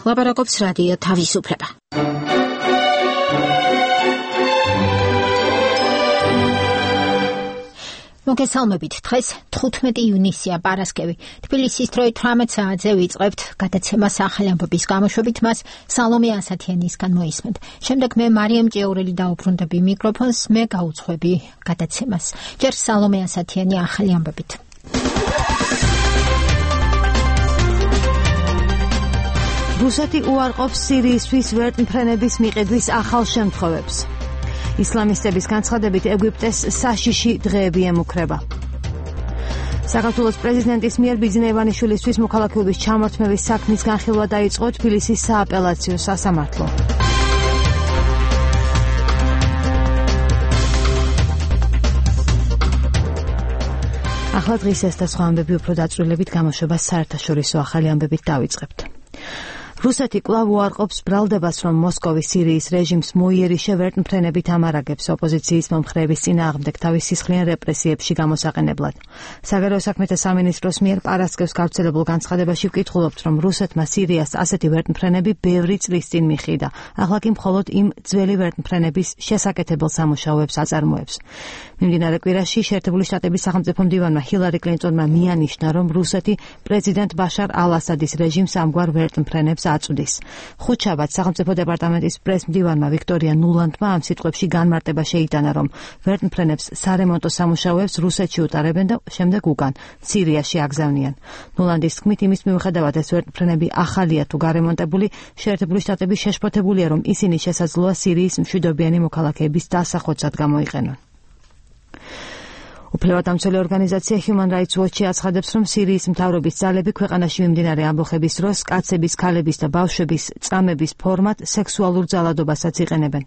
ლაპარაკობს რადიო თავისუფლება. მოგესალმებით. დღეს 15 ივნისია, პარასკევი. თბილისის დროით 18 საათზე ვიწყებთ გადაცემას ახალი ამბების გამოშვებით, მას სალომე ასათიანისგან მოისმენთ. შემდეგ მე მარიამ ჭეურელი დაუბრუნდები მიკროფონს, მე გაუძღვები გადაცემას. ჯერ სალომე ასათიანი ახალი ამბებით. რუსეთი უარყოფს სირიისთვის ვერტმფრენების მიყიდვის ახალ შემთხვევებს. ისლამისტების განცხადებით ეგვიპტეს საშიში დღეები ემუქრება. საქართველოს პრეზიდენტის მიერ ბიძინა ივანიშვილისთვის მოქალაქეობის ჩამორთმევის საქმის განხილვა დაიწყო თბილისის სააპელაციო სასამართლო. ახლა დღის ეს და სხვა ამბები უფრო დაწვრილებით გამოშვებას საერთაშორისო ახალი ამბებით დავიწყებთ. რუსეთი კვლავ უარყოფს ბრალდებას, რომ მოსკოვი სირიის რეჟიმს მოიერიშე ვერტმფრენებით ამარაგებს ოპოზიციის მომხრეების წინააღმდეგ თავის სისხლიან რეპრესიებში გამოსაყენებლად. საგარეო საქმეთა სამინისტროს მიერ პარასკევს გავრცელებულ განცხადებაში ვკითხულობთ, რომ რუსეთმა სირიას ასეთი ვერტმფრენები ბევრი წლის წინ მიხიდა. ახლა კი მხოლოდ იმ ძველი ვერტმფრენების შესაკეთებელ სამუშაოებს აწარმოებს. მიმდინარე კვირაში შეერთებული შტატების სახელმწიფო მდივანმა ჰილარი კლინტონმა მიანიშნა, რომ რუსეთი პრეზიდენტ ბაშარ ალ-ასადის რეჟიმს ამგვარ ვერტმფრენებს აწვდის. ხუთშაბათს სახელმწიფო დეპარტამენტის პრეს-მდივანმა ვიქტორია ნულანდმა ამ სიტყვებში განმარტება შეიტანა, რომ ვერტმფრენებს სარემონტო სამუშაოებს რუსეთში უტარებენ და შემდეგ უკან სირიაში აგზავნიან. ნულანდის თქმით, იმის მიუხედავად ეს ვერტმფრენები ახალია თუ გარემონტებული, შეერთებული შტატები შეშფოთებულია, რომ ისინი შესაძლოა სირიის მშვიდობიანი მოქალაქეების დასახოცად გამოიყენონ. უფლებადამცველი ორგანიზაცია Human Rights Watch აცხადებს, რომ სირიის მთავრობის ძალები ქვეყანაში მიმდინარე ამბოხების დროს კაცების, ქალების და ბავშვების წამების ფორმად სექსუალურ ძალადობასაც იყენებენ.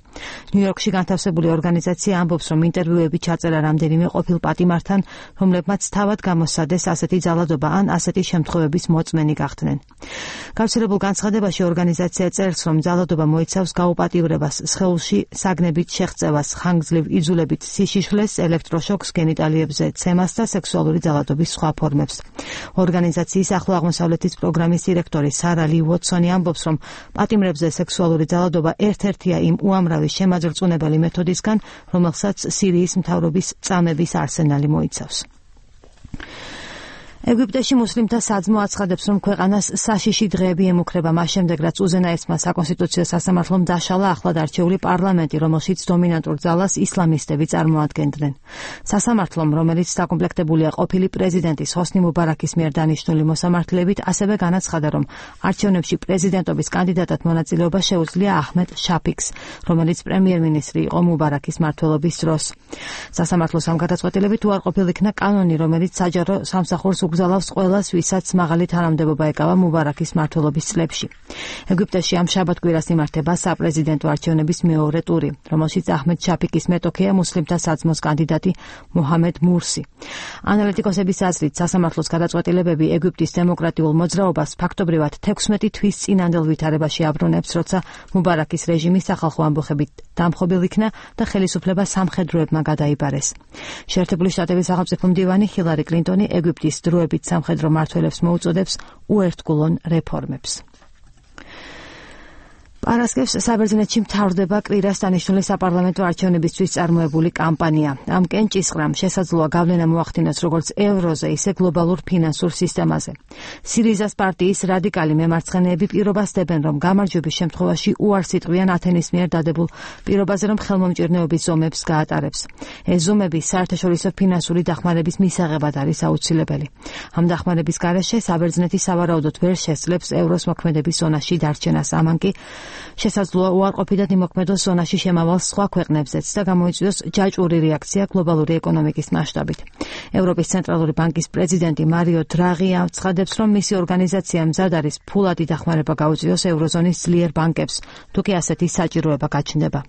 ნიუ-იორკში განთავსებული ორგანიზაცია ამბობს, რომ ინტერვიუები ჩაწერა რამდენიმე ყოფილ პატიმართან, რომლებმაც თავად გამოსცადეს ასეთი ძალადობა ან ასეთი შემთხვევების მოწმენი გახდნენ. გავრცელებულ განცხადებაში ორგანიზაცია წერს, რომ ძალადობა მოიცავს გაუპატიურებას, სხეულში საგნებით შეღწევას, ხანგრძლივ იძულებით სიშიშვლეს, ელექტროშოკს, გენიტალ ცემას და სექსუალური ძალადობის სხვა ფორმებს. ორგანიზაციის ახლო აღმოსავლეთის პროგრამის დირექტორი სარა ლი უოტსონი ამბობს, რომ პატიმრებზე სექსუალური ძალადობა ერთ-ერთია იმ უამრავი შემაძრწუნებელი მეთოდისგან, რომელსაც სირიის მთავრობის წამების არსენალი მოიცავს. ეგვიპტეში მუსლიმთა საძმო აცხადებს, რომ ქვეყანას საშიში დღეები ემუქრება მას შემდეგ, რაც უზენაესმა საკონსტიტუციო სასამართლომ დაშალა ახლად არჩეული პარლამენტი, რომელშიც დომინანტურ ძალას ისლამისტები წარმოადგენდნენ. სასამართლომ, რომელიც დაკომპლექტებულია ყოფილი პრეზიდენტის ჰოსნი მუბარაქის მიერ დანიშნული მოსამართლეებით, ასევე განაცხადა, რომ არჩევნებში პრეზიდენტობის კანდიდატად მონაწილეობა შეუძლია აჰმედ შაფიქს, რომელიც პრემიერ-მინისტრი იყო მუბარაქის მმართველობის დროს. სასამართლოს ამ გადაწყვეტილებით უარყოფილ იქნა კანონი, რომელიც საჯარო სამსახურს გზალავს ყველას, ვისაც მაღალი თანამდებობა ეკავა მუბარაქის მმართველობის წლებში. ეგვიპტეში ამ შაბათ-კვირას იმართება საპრეზიდენტო არჩევნების მეორე ტური, რომელშიც აჰმედ შაფიკის მეტოქეა მუსლიმთა საძმოს კანდიდატი მოჰამედ მურსი. ანალიტიკოსების აზრით, სასამართლოს გადაწყვეტილებები ეგვიპტის დემოკრატიულ მოძრაობას ფაქტობრივად 16 თვის წინანდელ ვითარებაში აბრუნებს, როცა მუბარაქის რეჟიმი სახალხო ამბოხებით დამხობილ იქნა და ხელისუფლება სამხედროებმა გადაიბარეს. შეერთებული შტატების სახელმწიფო მდივანი ჰილარი კლინტონი ეგვიპტის დროებით სამხედრო მმართველებს მოუწოდებს უერთგულონ რეფორმებს. პარასკევს საბერძნეთში მთავრდება კვირას დანიშნული საპარლამენტო არჩევნებისთვის წარმოებული კამპანია. ამ კენჭისყრამ შესაძლოა გავლენა მოახდინოს როგორც ევროზე, ისე გლობალურ ფინანსურ სისტემაზე. სირიზას პარტიის რადიკალი მემარცხენეები პირობას დებენ, რომ გამარჯვების შემთხვევაში უარს იტყვიან ათენის მიერ დადებულ პირობაზე, რომ ხელმომჭირნეობის ზომებს გაატარებს. ეს ზომები საერთაშორისო ფინანსური დახმარების მისაღებად არის აუცილებელი. ამ დახმარების გარეშე საბერძნეთი სავარაუდოდ ვერ შესძლებს ევროს მოქმედების ზონაში დარჩენას, ამან კი შესაძლოა უარყოფითად იმოქმედოს ზონაში შემავალ სხვა ქვეყნებზეც და გამოიწვიოს ჯაჭვური რეაქცია გლობალური ეკონომიკის მასშტაბით. ევროპის ცენტრალური ბანკის პრეზიდენტი მარიო დრაღი აცხადებს, რომ მისი ორგანიზაცია მზად არის ფულადი დახმარება გაუწიოს ევროზონის ძლიერ ბანკებს, თუ კი ასეთი საჭიროება გაჩნდება.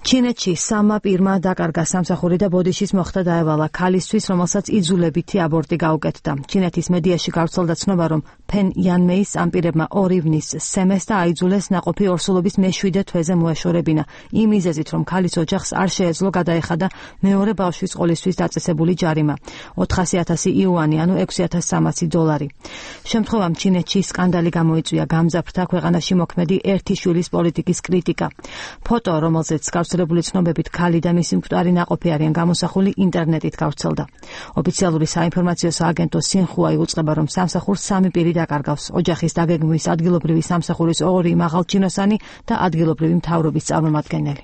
ჩინეთში სამმა პირმა დაკარგა სამსახური და ბოდიშის მოხდა დაევალა ქალისთვის, რომელსაც იძულებითი აბორტი გაუკეთდა. ჩინეთის მედიაში გავრცელდა ცნობა, რომ ფენ იანმეის ამ პირებმა 2 ივნის სემეს და აიძულეს ნაყოფი ორსულობის მე-7 თვეზე მოეშორებინა, იმ მიზეზით, რომ ქალის ოჯახს არ შეეძლო გადაეხადა მეორე ბავშვის ყოლისთვის დაწესებული ჯარიმა 400,000 იუანი, ანუ $6,300. შემთხვევამ ჩინეთში სკანდალი გამოიწვია, გამძაფრდა ქვეყანაში მოქმედი ერთი შვილის პოლიტიკის კრიტიკა. ფოტო, რომელზეც გავრცელებული ცნობებით ქალი და მისი მკვდარი ნაყოფი არიან გამოსახული, ინტერნეტით გავრცელდა. ოფიციალური საინფორმაციო სააგენტო სინხუაი უწყება, რომ სამსახურს 3 პირი დაკარგავს: ოჯახის დაგეგმვის ადგილობრივი სამსახურის 2 მაღალჩინოსანი და ადგილობრივი მთავრობის წარმომადგენელი.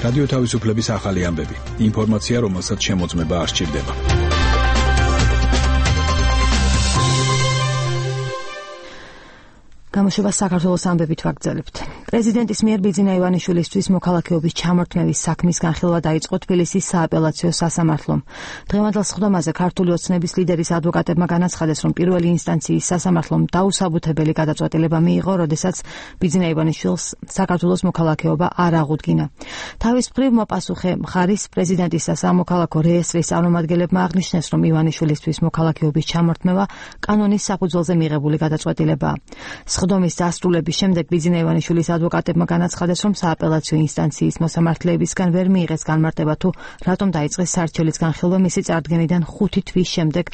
რადიო თავისუფლების ახალი ამბები. ინფორმაცია, რომელსაც შემოწმება არ სჭირდება. გამოშვება საქართველოს ამბებით ვაგრძელებთ. პრეზიდენტის მიერ ბიძინა ივანიშვილისთვის მოქალაქეობის ჩამორთმევის საქმის განხილვა დაიწყო თბილისის სააპელაციო სასამართლომ. დღევანდელ სხდომაზე ქართული ოცნების ლიდერის ადვოკატებმა განაცხადეს, რომ პირველი ინსტანციის სასამართლომ დაუსაბუთებელი გადაწყვეტილება მიიღო, როდესაც ბიძინა ივანიშვილს საქართველოს მოქალაქეობა არ აღუდგინა. თავის მხრივ მოპასუხე მხარის პრეზიდენტის და სამოქალაქო რეესტრის წარმომადგენლებმა აღნიშნეს, რომ ივანიშვილისთვის მოქალაქეობის ჩამორთმევა კანონის საფუძველზე მიღებული გადაწყვეტილებაა. სხდომის დასრულების შემდეგ ბიძინა ივანიშვილის ადვოკატებმა განაცხადეს, რომ სააპელაციო ინსტანციის მოსამართლეებისგან ვერ მიიღეს განმარტება თუ რატომ დაიწყეს სარჩელის განხილვა მისი წარდგენიდან 5 თვის შემდეგ.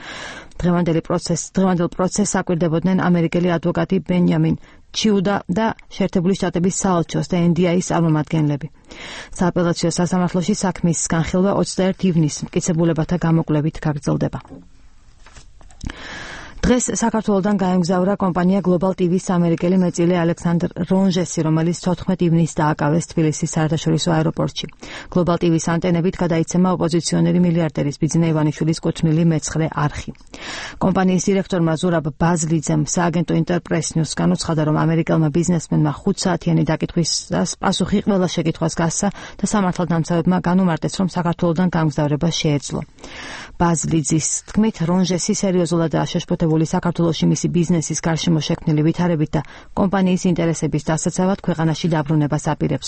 დღევანდელ პროცესს აკვირდებოდნენ ამერიკელი ადვოკატი ბენიამინ ჩიუდა და შეერთებული შტატების საელჩოს და NDI-ის წარმომადგენლები. სააპელაციო სასამართლოში საქმის განხილვა 21 ივნისს მტკიცებულებათა გამოკვლევით გაგრძელდება. დღეს საქართველოდან გაემგზავრა კომპანია Global TV-ს ამერიკელი მეწილე ალექსანდრ რონჟესი, რომელიც 14 ივნისს დააკავეს თბილისის საერთაშორისო აეროპორტში. Global TV-ს ანტენებით გადაიცემა ოპოზიციონერი მილიარდერის ბიძინა ივანიშვილის კუთვნილი მე-9 არხი. კომპანიის დირექტორმა ზურაბ ბაზლიძემ სააგენტო ინტერპრეს ნიუს განუცხადა, რომ ამერიკელმა ბიზნესმენმა 5 საათიანი დაკითხვისას პასუხი ყველა შეკითხვას გასცა და სამართალდამცავებმა განუმარტეს, რომ საქართველოდან გამგზავრება შეეძლო. ბაზლიძის თქმით, რონჟესი სერიოზულადაა შეშფოთებული საქართველოში მისი ბიზნესის გარშემო შექმნილი ვითარებით და კომპანიის ინტერესების დასაცავად ქვეყანაში დაბრუნებას აპირებს.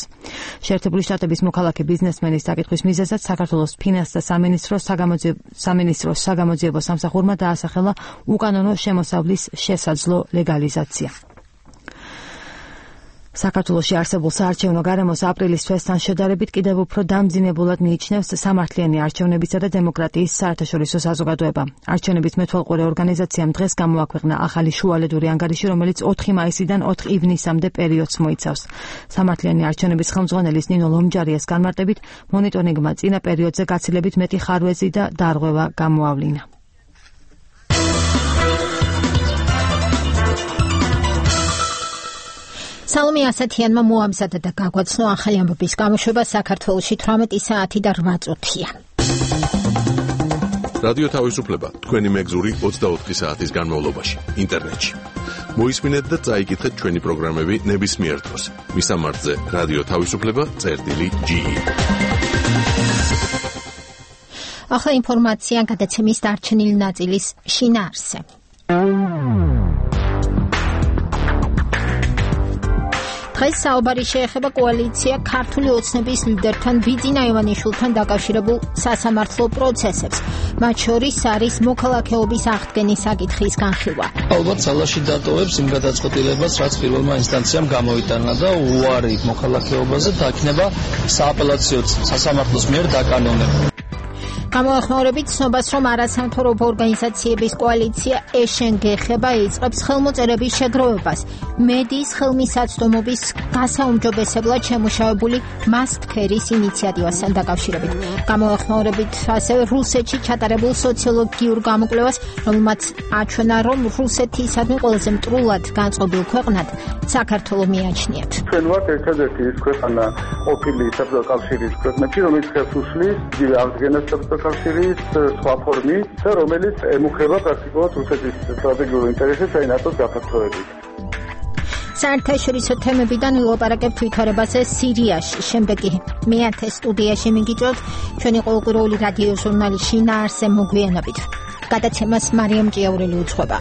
შეერთებული შტატების მოქალაქე ბიზნესმენის დაკითხვის მიზეზად საქართველოს ფინანსთა სამინისტროს საგამოძიებო სამსახურმა დაასახელა უკანონო შემოსავლის შესაძლო ლეგალიზაცია. საქართველოში არსებულ საარჩევნო გარემოს აპრილის თვესთან შედარებით კიდევ უფრო დამძინებულად მიიჩნევს სამართლიანი არჩევნებისა და დემოკრატიის საერთაშორისო საზოგადოება. არჩევნების მეთვალყურე ორგანიზაციამ დღეს გამოაქვეყნა ახალი შუალედური ანგარიში, რომელიც 4 მაისიდან 4 ივნისამდე პერიოდს მოიცავს. სამართლიანი არჩევნების ხელმძღვანელის ნინო ლომჯარიას განმარტებით, მონიტორინგმა წინა პერიოდზე გაცილებით მეტი ხარვეზი და დარღვევა გამოავლინა. სალომე ასათიანმა მოამზადა და გაგვაცნო ახალი ამბების გამოშვება საქართველოში 18 საათი და 8 წუთია. რადიო თავისუფლება თქვენი მეგზური 24 საათის განმავლობაში ინტერნეტში. მოისმინეთ და წაიკითხეთ ჩვენი პროგრამები ნებისმიერ დროს. მისამართზე რადიო თავისუფლება.ge. ახლა ინფორმაცია გადაცემის დარჩენილი ნაწილის შინაარსზე. დღეს საუბარი შეეხება კოალიცია ქართული ოცნების ლიდერთან ბიძინა ივანიშვილთან დაკავშირებულ სასამართლო პროცესებს. მათ შორის არის მოქალაქეობის აღდგენის საკითხის განხილვა. ალბათ ძალაში დატოვებს იმ გადაწყვეტილებას, რაც პირველმა ინსტანციამ გამოიტანა და უარი მოქალაქეობაზე დაქნება სააპელაციო სასამართლოს მიერ დაკანონებული. გამოეხმაურებით ცნობას, რომ არასამთავრობო ორგანიზაციების კოალიცია ეშენგეხება იწყებს ხელმოწერების შეგროვებას. მედიის ხელმისაწვდომობის გასაუმჯობესებლად შემუშავებული მასტქერის ინიციატივასთან დაკავშირებით. გამოეხმაურებით ასევე რუსეთში ჩატარებულ სოციოლოგიურ გამოკვლევას, რომელმაც აჩვენა, რომ რუსეთისადმი ყველაზე მტრულად განწყობილ ქვეყნად საქართველო მიაჩნიათ. ჩვენ ვართ ერთადერთი ის ქვეყანა ყოფილი საბჭოთა კავშირის ქვეყნებში, რომელიც ხელს უშლის აღდგენას საბჭოთა კავშირის სხვა ფორმით და რომელიც ემუქრება პრაქტიკულად რუსეთის სტრატეგიულ ინტერესებს აი ნატოს გაფართოებით. საერთაშორისო თემებიდან ვილაპარაკებთ ვითარებაზე სირიაში. შემდეგ კი მეათე სტუდიაში მიგიწევთ ჩვენი ყოველკვირეული რადიო ჟურნალი შინაარსზე მოგვიანებით. გადაცემას მარიამ ჭიაურელი უძღვება.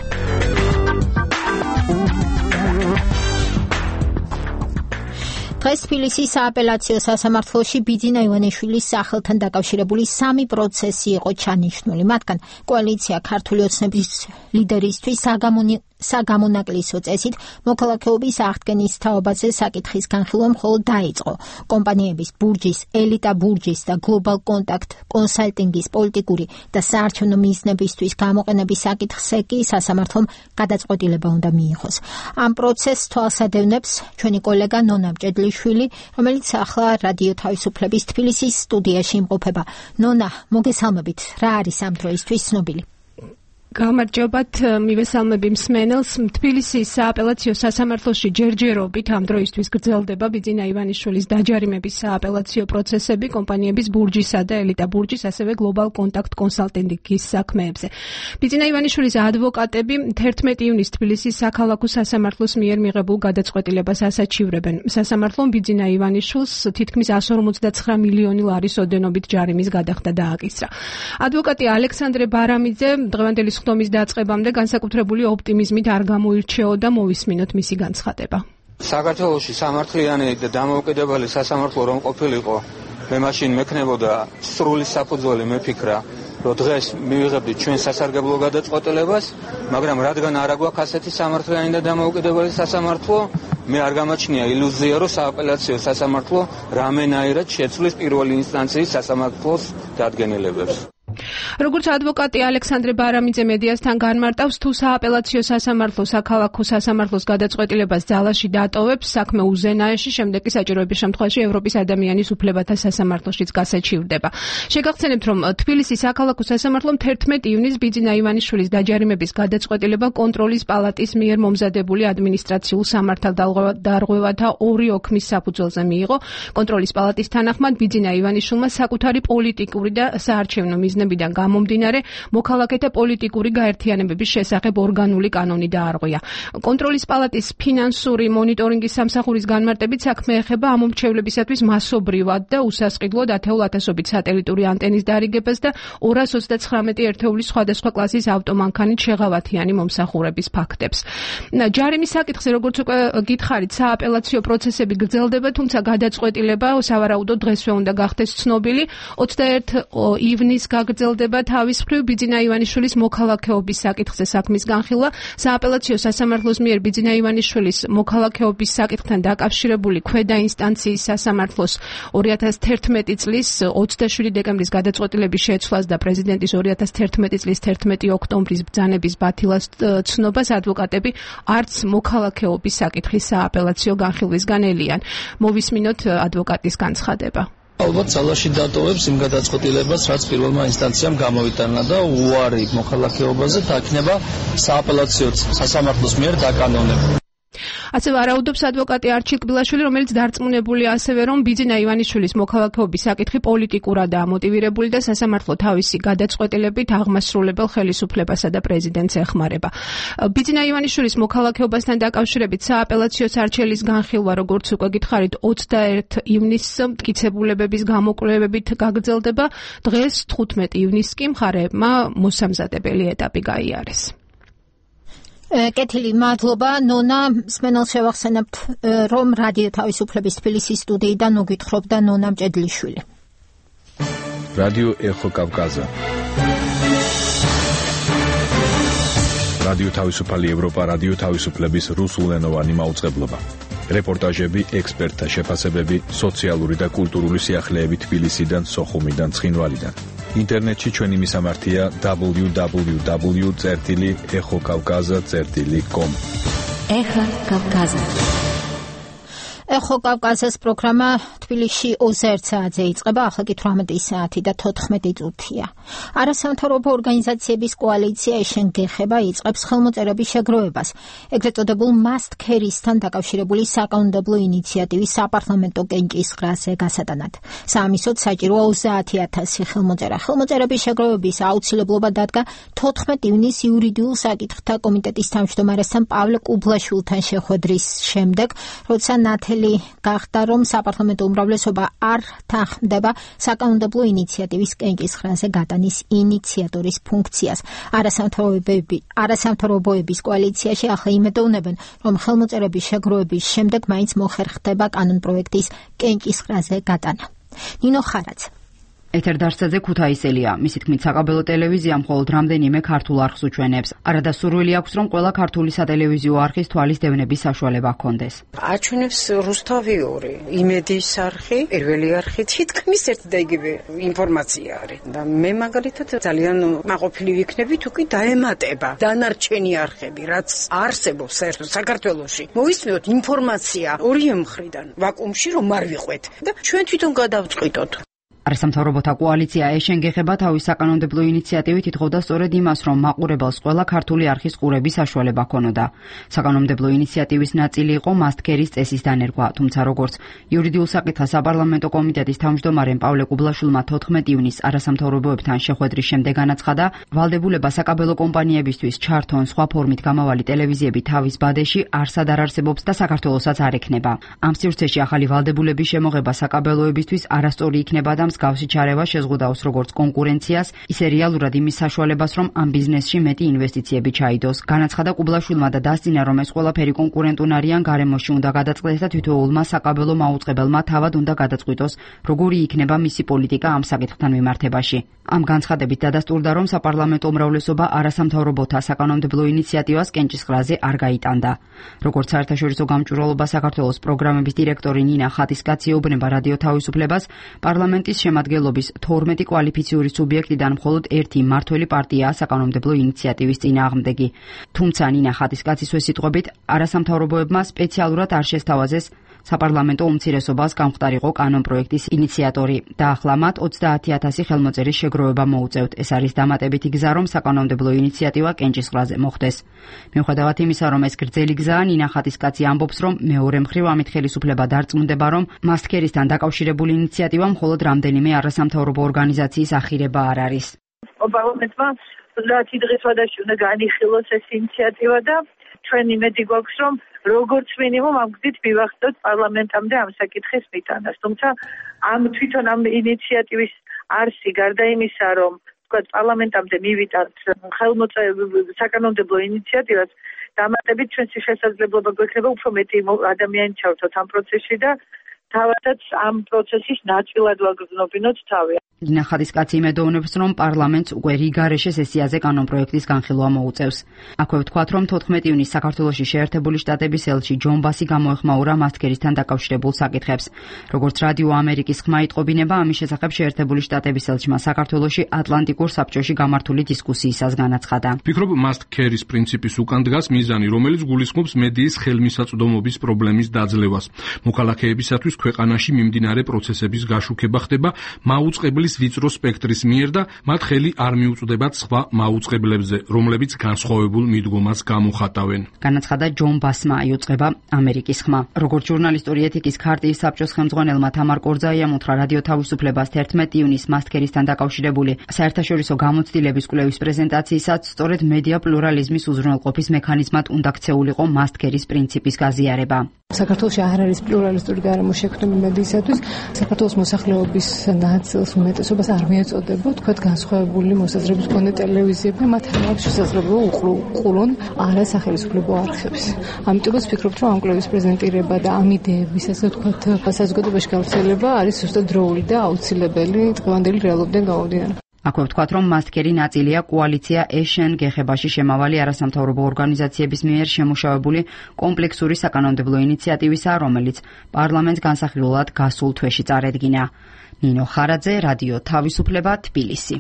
დღეს თბილისის სააპელაციო სასამართლოში ბიძინა ივანიშვილის სახელთან დაკავშირებული 3 პროცესი იყო ჩანიშნული. მათგან კოალიცია ქართული ოცნების ლიდერისთვის საგამონაკლისო წესით მოქალაქეობის აღდგენის თაობაზე საკითხის განხილვა მხოლოდ დაიწყო. კომპანიების ბურჯის, ელიტა ბურჯის და გლობალ კონტაქტ კონსალტინგის პოლიტიკური და საარჩევნო მიზნებისთვის გამოყენების საკითხზე კი სასამართლომ გადაწყვეტილება უნდა მიიღოს. ამ პროცესს თვალსადევნებს ჩვენი კოლეგა ნონა მჭედლიშვილი, რომელიც ახლა რადიო თავისუფლების თბილისის სტუდიაში იმყოფება. ნონა, მოგესალმებით. რა არის ამ დროისთვის ცნობილი? გამარჯობათ, მივესალმები მსმენელს. თბილისის სააპელაციო სასამართლოში ჯერჯერობით ამ დროისთვის გრძელდება ბიძინა ივანიშვილის დაჯარიმების სააპელაციო პროცესები კომპანიების ბურჯისა და ელიტა ბურჯის, ასევე გლობალ კონტაქტ კონსალტინგის საქმეებზე. ბიძინა ივანიშვილის ადვოკატები 11 ივნისს თბილისის საქალაქო სასამართლოს მიერ მიღებულ გადაწყვეტილებას ასაჩივრებენ. სასამართლომ ბიძინა ივანიშვილს თითქმის 159 მილიონი ლარის ოდენობით ჯარიმის გადახდა დააკისრა. ადვოკატი ალექსანდრე ბარამიძე დღევანდელი ხდომის დაწყებამდე განსაკუთრებული ოპტიმიზმით არ გამოირჩეოდა, მოვისმინოთ მისი განცხადება. საქართველოში სამართლიანი და დამოუკიდებელი სასამართლო რომ ყოფილიყო, მე მაშინ მექნებოდა სრული საფუძველი მეფიქრა, რომ დღეს მივიღებდით ჩვენ სასარგებლო გადაწყვეტილებას, მაგრამ რადგან არ აგვაქვს ასეთი სამართლიანი და დამოუკიდებელი სასამართლო, მე არ გამაჩნია ილუზია, რომ სააპელაციო სასამართლო რამენაირად შეცვლის პირველი ინსტანციის სასამართლოს დადგენილებებს. როგორც ადვოკატი ალექსანდრე ბარამიძე მედიასთან განმარტავს, თუ სააპელაციო სასამართლო საქალაქო სასამართლოს გადაწყვეტილებას ძალაში დატოვებს, საქმე უზენაეში, შემდეგ კი საჭიროების შემთხვევაში ევროპის ადამიანის უფლებათა სასამართლოშიც გასაჩივრდება. შეგახსენებთ, რომ თბილისის საქალაქო სასამართლომ 11 ივნისს ბიძინა ივანიშვილის დაჯარიმების გადაწყვეტილება კონტროლის პალატის მიერ მომზადებული ადმინისტრაციულ სამართალდარღვევათა 2 ოქმის საფუძველზე მიიღო. კონტროლის პალატის თანახმად ბიძინა ივანიშვილმა საკუთარი პოლიტიკური და საარჩევნო მიზნებიდან გამომდინარე მოქალაქეთა პოლიტიკური გაერთიანებების შესახებ ორგანული კანონი დაარღვია. კონტროლის პალატის ფინანსური მონიტორინგის სამსახურის განმარტებით საქმე ეხება ამომრჩევლებისათვის მასობრივად და უსასყიდლოდ ათეულ ათასობით სატელიტური ანტენის დარიგებას და 239 ერთეულის სხვადასხვა კლასის ავტომანქანით შეღავათიანი მომსახურების ფაქტებს. ჯარიმის საკითხზე, როგორც უკვე გითხარით, სააპელაციო პროცესები გრძელდება, თუმცა გადაწყვეტილება სავარაუდოდ დღესვე უნდა გახდეს ცნობილი. 21 ივნისს გაგრძელდება თავის მხრივ ბიძინა ივანიშვილის მოქალაქეობის საკითხზე საქმის განხილვა. სააპელაციო სასამართლოს მიერ ბიძინა ივანიშვილის მოქალაქეობის საკითხთან დაკავშირებული ქვედა ინსტანციის სასამართლოს 2011 წლის 27 დეკემბრის გადაწყვეტილების შეცვლას და პრეზიდენტის 2011 წლის 11 ოქტომბრის ბრძანების ბათილას ცნობას ადვოკატები არც მოქალაქეობის საკითხის სააპელაციო განხილვისგან ელიან. მოვისმინოთ ადვოკატის განცხადება. ალბათ ძალაში დატოვებს იმ გადაწყვეტილებას, რაც პირველმა ინსტანციამ გამოიტანა და უარი მოქალაქეობაზე დაკნება სააპელაციო სასამართლოს მიერ დაკანონებული. ასევე ვარაუდობს ადვოკატი არჩილ კბილაშვილი, რომელიც დარწმუნებულია ასევე, რომ ბიძინა ივანიშვილის მოქალაქეობის საკითხი პოლიტიკურადაა მოტივირებული და სასამართლო თავისი გადაწყვეტილებით აღმასრულებელ ხელისუფლებასა და პრეზიდენტს ეხმარება. ბიძინა ივანიშვილის მოქალაქეობასთან დაკავშირებით სააპელაციო სარჩელის განხილვა, როგორც უკვე გითხარით, 21 ივნისს მტკიცებულებების გამოკვლევებით გაგრძელდება. დღეს 15 ივნისს კი მხარეებმა მოსამზადებელი ეტაპი გაიარეს. კეთილი, მადლობა. ნონა, მსმენელს შევახსენებთ, რომ რადიო თავისუფლების თბილისის სტუდიიდან მოგვითხრობდა ნონა მჭედლიშვილი. რადიო ეხო კავკაზა. რადიო თავისუფალი ევროპა, რადიო თავისუფლების რუსულენოვანი მაუწყებლობა. რეპორტაჟები, ექსპერტთა შეფასებები, სოციალური და კულტურული სიახლეები თბილისიდან, სოხუმიდან, ცხინვალიდან. ინტერნეტში ჩვენი მისამართია www.ეხოკავკაზა.com. ეხა კავკაზა. ეხო კავკაზას პროგრამა თბილისში 21 საათზე იწყება, ახლა კი 18 საათი და 14 წუთია. არასამთავრობო ორგანიზაციების კოალიცია ეშენ გეხება იწყებს ხელმოწერების შეგროვებას. ეგრეთ წოდებულ Must Carry-სთან დაკავშირებული საკანონმდებლო ინიციატივის საპარლამენტო კენჭისყრაზე გასატანად. საამისოდ საჭიროა 30,000 ხელმოწერა. ხელმოწერების შეგროვების აუცილებლობა დადგა 14 ივნისს იურიდიულ საკითხთა კომიტეტის თავმჯდომარესთან პავლე კუბლაშვილთან შეხვედრის შემდეგ, როცა ნათელი ნათელი გახდა, რომ საპარლამენტო უმრავლესობა არ თანხმდება საკანონმდებლო ინიციატივის კენჭისყრაზე გატანის ინიციატორის ფუნქციას. არასამთავრობოების კოალიციაში ახლა იმედოვნებენ, რომ ხელმოწერების შეგროვების შემდეგ მაინც მოხერხდება კანონპროექტის კენჭისყრაზე გატანა. ნინო ხარაძე. ეთერდარსაძე ქუთაისელია. მისი თქმით, საკაბელო ტელევიზია მხოლოდ რამდენიმე ქართულ არხს უჩვენებს. არადასურველი აქვს, რომ ყველა ქართული სატელევიზიო არხის თვალის დევნების საშუალება ჰქონდეს. აჩვენებს რუსთავიური, იმედის არხი, პირველი არხი, თითქმის ერთი და იგივე ინფორმაცია არის. და მე მაგალითად ძალიან მაყოფილი ვიქნები, თუ კი დაემატება დანარჩენი არხები, რაც არსებობს საქართველოში. მოვისმინოთ ინფორმაცია ორივე მხრიდან, ვაკუუმში რომ არ ვიყვეთ და ჩვენ თვითონ გადავწყვიტოთ. არასამთავრობოთა კოალიცია ეშენ გეხება თავის საკანონმდებლო ინიციატივით ითხოვდა სწორედ იმას, რომ მაყურებელს ყველა ქართული არხის ყურების საშუალება ჰქონოდა. საკანონმდებლო ინიციატივის ნაწილი იყო მასტქერის წესის დანერგვა, თუმცა როგორც იურიდიულ საკითხთა საპარლამენტო კომიტეტის თავმჯდომარემ პავლე კუბლაშვილმა 14 ივნისს არასამთავრობოებთან შეხვედრის შემდეგ განაცხადა, ვალდებულება საკაბელო კომპანიებისთვის ჩართონ სხვა ფორმით გამავალი ტელევიზიები თავის ბადეში არსად არ არსებობს და საქართველოსაც არ ექნება. ამ სივრცეში ახალი ვალდებულების შემოღება საკაბელოებისთვის არასწორი იქნება და მსგავსი ჩარევა შეზღუდავს როგორც კონკურენციას, ისე რეალურად იმის საშუალებას, რომ ამ ბიზნესში მეტი ინვესტიციები ჩაიდოს. განაცხადა კუბლაშვილმა და დასძინა, რომ ეს ყველაფერი კონკურენტულ არიან გარემოში უნდა გადაწყდეს და თითოეულმა საკაბელო მაუწყებელმა თავად უნდა გადაწყვიტოს, როგორი იქნება მისი პოლიტიკა ამ საკითხთან მიმართებაში. ამ განცხადებით დადასტურდა, რომ საპარლამენტო უმრავლესობა არასამთავრობოთა საკანონმდებლო ინიციატივას კენჭისყრაზე არ გაიტანდა. როგორც საერთაშორისო გამჭვირვალობა საქართველოს პროგრამების დირექტორი ნინა ხატისკაცი ეუბნება რადიო თავისუფლებას, პარლამენტის შემადგენლობის 12 კვალიფიციური სუბიექტიდან მხოლოდ ერთი მმართველი პარტიაა საკანონმდებლო ინიციატივის წინააღმდეგი. თუმცა ნინა ხატისკაცის სიტყვებით, არასამთავრობოებმა სპეციალურად არ შესთავაზეს საპარლამენტო უმცირესობას გამხდარიყო კანონპროექტის ინიციატორი და ახლა მათ 30,000 ხელმოწერის შეგროვება მოუწევთ. ეს არის დამატებითი გზა, რომ საკანონმდებლო ინიციატივა კენჭისყრაზე მოხდეს. მიუხედავად იმისა, რომ ეს გრძელი გზაა, ნინა ხატისკაცი ამბობს, რომ მეორე მხრივ ამით ხელისუფლება დარწმუნდება, რომ მასტქერისთან დაკავშირებული ინიციატივა მხოლოდ რამდენიმე არასამთავრობო ორგანიზაციის ახირება არ არის. პარლამენტმა რაც დღესვადაში უნდა განიხილოს ეს ინიციატივა და ჩვენ იმედი გვაქვს, რომ როგორც მინიმუმ ამ გზით მივახდოთ პარლამენტამდე ამ საკითხის მიტანას. თუმცა თვითონ ამ ინიციატივის არსი გარდა იმისა, რომ თქვა პარლამენტამდე მივიტანთ საკანონმდებლო ინიციატივას, დამატებით ჩვენს შესაძლებლობა გვექნება უფრო მეტი ადამიანი ჩავთოთ ამ პროცესში და თავადაც ამ პროცესის ნაწილად ვაგრძნობინოთ თავი. ნინა ხატისკაცი იმედოვნებს, რომ პარლამენტს უკვე რიგარეშე სესიაზე კანონპროექტის განხილვა მოუწევს. აქვე ვთქვათ, რომ 14 ივნისს საქართველოში შეერთებული შტატების ელჩი ჯონ ბასი გამოეხმაურა მასტქერისთან დაკავშირებულ საკითხებს. როგორც რადიო ამერიკის ხმა იტყობინება, ამის შესახებ შეერთებული შტატების ელჩმა საქართველოში ატლანტიკურ საბჭოში გამართული დისკუსიისას განაცხადა. ვფიქრობ, მასტქერის პრინციპის უკან დგას მიზანი, რომელიც გულისხმობს მედიის ხელმისაწვდომობის პრობლემის დაძლევას. მოქალაქეებისათვის ქვეყანაში მიმდინარე პროცესების გაშუქება ხდება მაუწყებლის ვიწრო სპექტრის მიერ და მათ ხელი არ მიუწვდებათ სხვა მაუწყებლებზე, რომლებიც განსხვავებულ მიდგომას გამოხატავენ. განაცხადა ჯონ ბასმა, იუწყება ამერიკის ხმა. როგორც ჟურნალისტური ეთიკის ქარტიის საბჭოს ხელმძღვანელმა თამარ კორძაიამ უთხრა რადიო თავისუფლებას 11 ივნისს მასტქერისთან დაკავშირებული საერთაშორისო გამოცდილების კვლევის პრეზენტაციისას სწორედ მედია პლურალიზმის უზრუნველყოფის მექანიზმად უნდა ქცეულიყო მასტქერის პრინციპის გაზიარება. საქართველოში არ არის პლურალისტური გარემო შექმნილი მედიისათვის, საქართველოს მოსახლეობის ნაწილს უმეტესობას არ მიეწოდება, თქვათ განსხვავებული მოსაზრების მქონე ტელევიზიები, მათ არ აქვს შესაძლებლობა უყურონ არასახელისუფლებო არხებს. ამიტომაც ვფიქრობ, რომ ამ კვლევის პრეზენტირება და ამ იდეების ასე ვთქვათ საზოგადოებაში გავრცელება არის ზუსტად დროული და აუცილებელი დღევანდელი რეალობიდან გამომდინარე. აქვე ვთქვათ, რომ მასტქერი ნაწილია კოალიცია ეშენ გეხებაში შემავალი არასამთავრობო ორგანიზაციების მიერ შემუშავებული კომპლექსური საკანონმდებლო ინიციატივისა, რომელიც პარლამენტს განსახილულად გასულ თვეში წარედგინა. ნინო ხარაძე, რადიო თავისუფლება, თბილისი.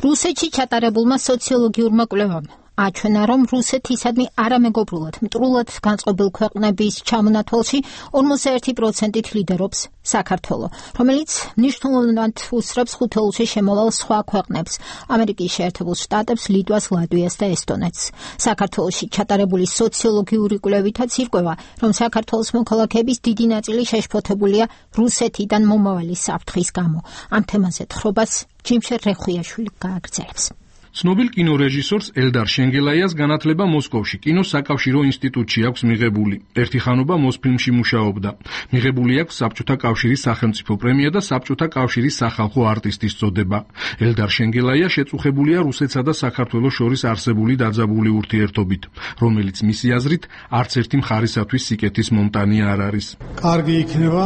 რუსეთში ჩატარებულმა სოციოლოგიურმა კვლევამ აჩვენა, რომ რუსეთისადმი არამეგობრულად მტრულად განწყობილ ქვეყნების ჩამონათვალში 51%-ით ლიდერობს საქართველო, რომელიც მნიშვნელოვნად უსწრებს ხუთეულში შემოვალ სხვა ქვეყნებს, ამერიკის შეერთებულ შტატებს, ლიტვას, ლატვიას და ესტონეთს. საქართველოში ჩატარებული სოციოლოგიური კვლევითაც ირკვევა, რომ საქართველოს მოქალაქეების დიდი ნაწილი შეშფოთებულია რუსეთიდან მომავალი საფრთხის გამო. ამ თემაზე თხრობას ჯიმშერ რეხუიაშვილი გააგრძელებს. ცნობილ კინორეჟისორს ელდარ შენგელაიას განათლება მოსკოვში კინოს საკავშირო ინსტიტუტში აქვს მიღებული. ერთი ხანობა მოსფილმში მუშაობდა. მიღებული აქვს საბჭოთა კავშირის სახელმწიფო პრემია და საბჭოთა კავშირის სახალხო არტისტის წოდება. ელდარ შენგელაია შეწუხებულია რუსეთსა და საქართველოს შორის არსებული დაძაბული ურთიერთობით, რომელიც მისი აზრით არც ერთი მხარისათვის სიკეთის მომტანი არ არის. კარგი იქნება,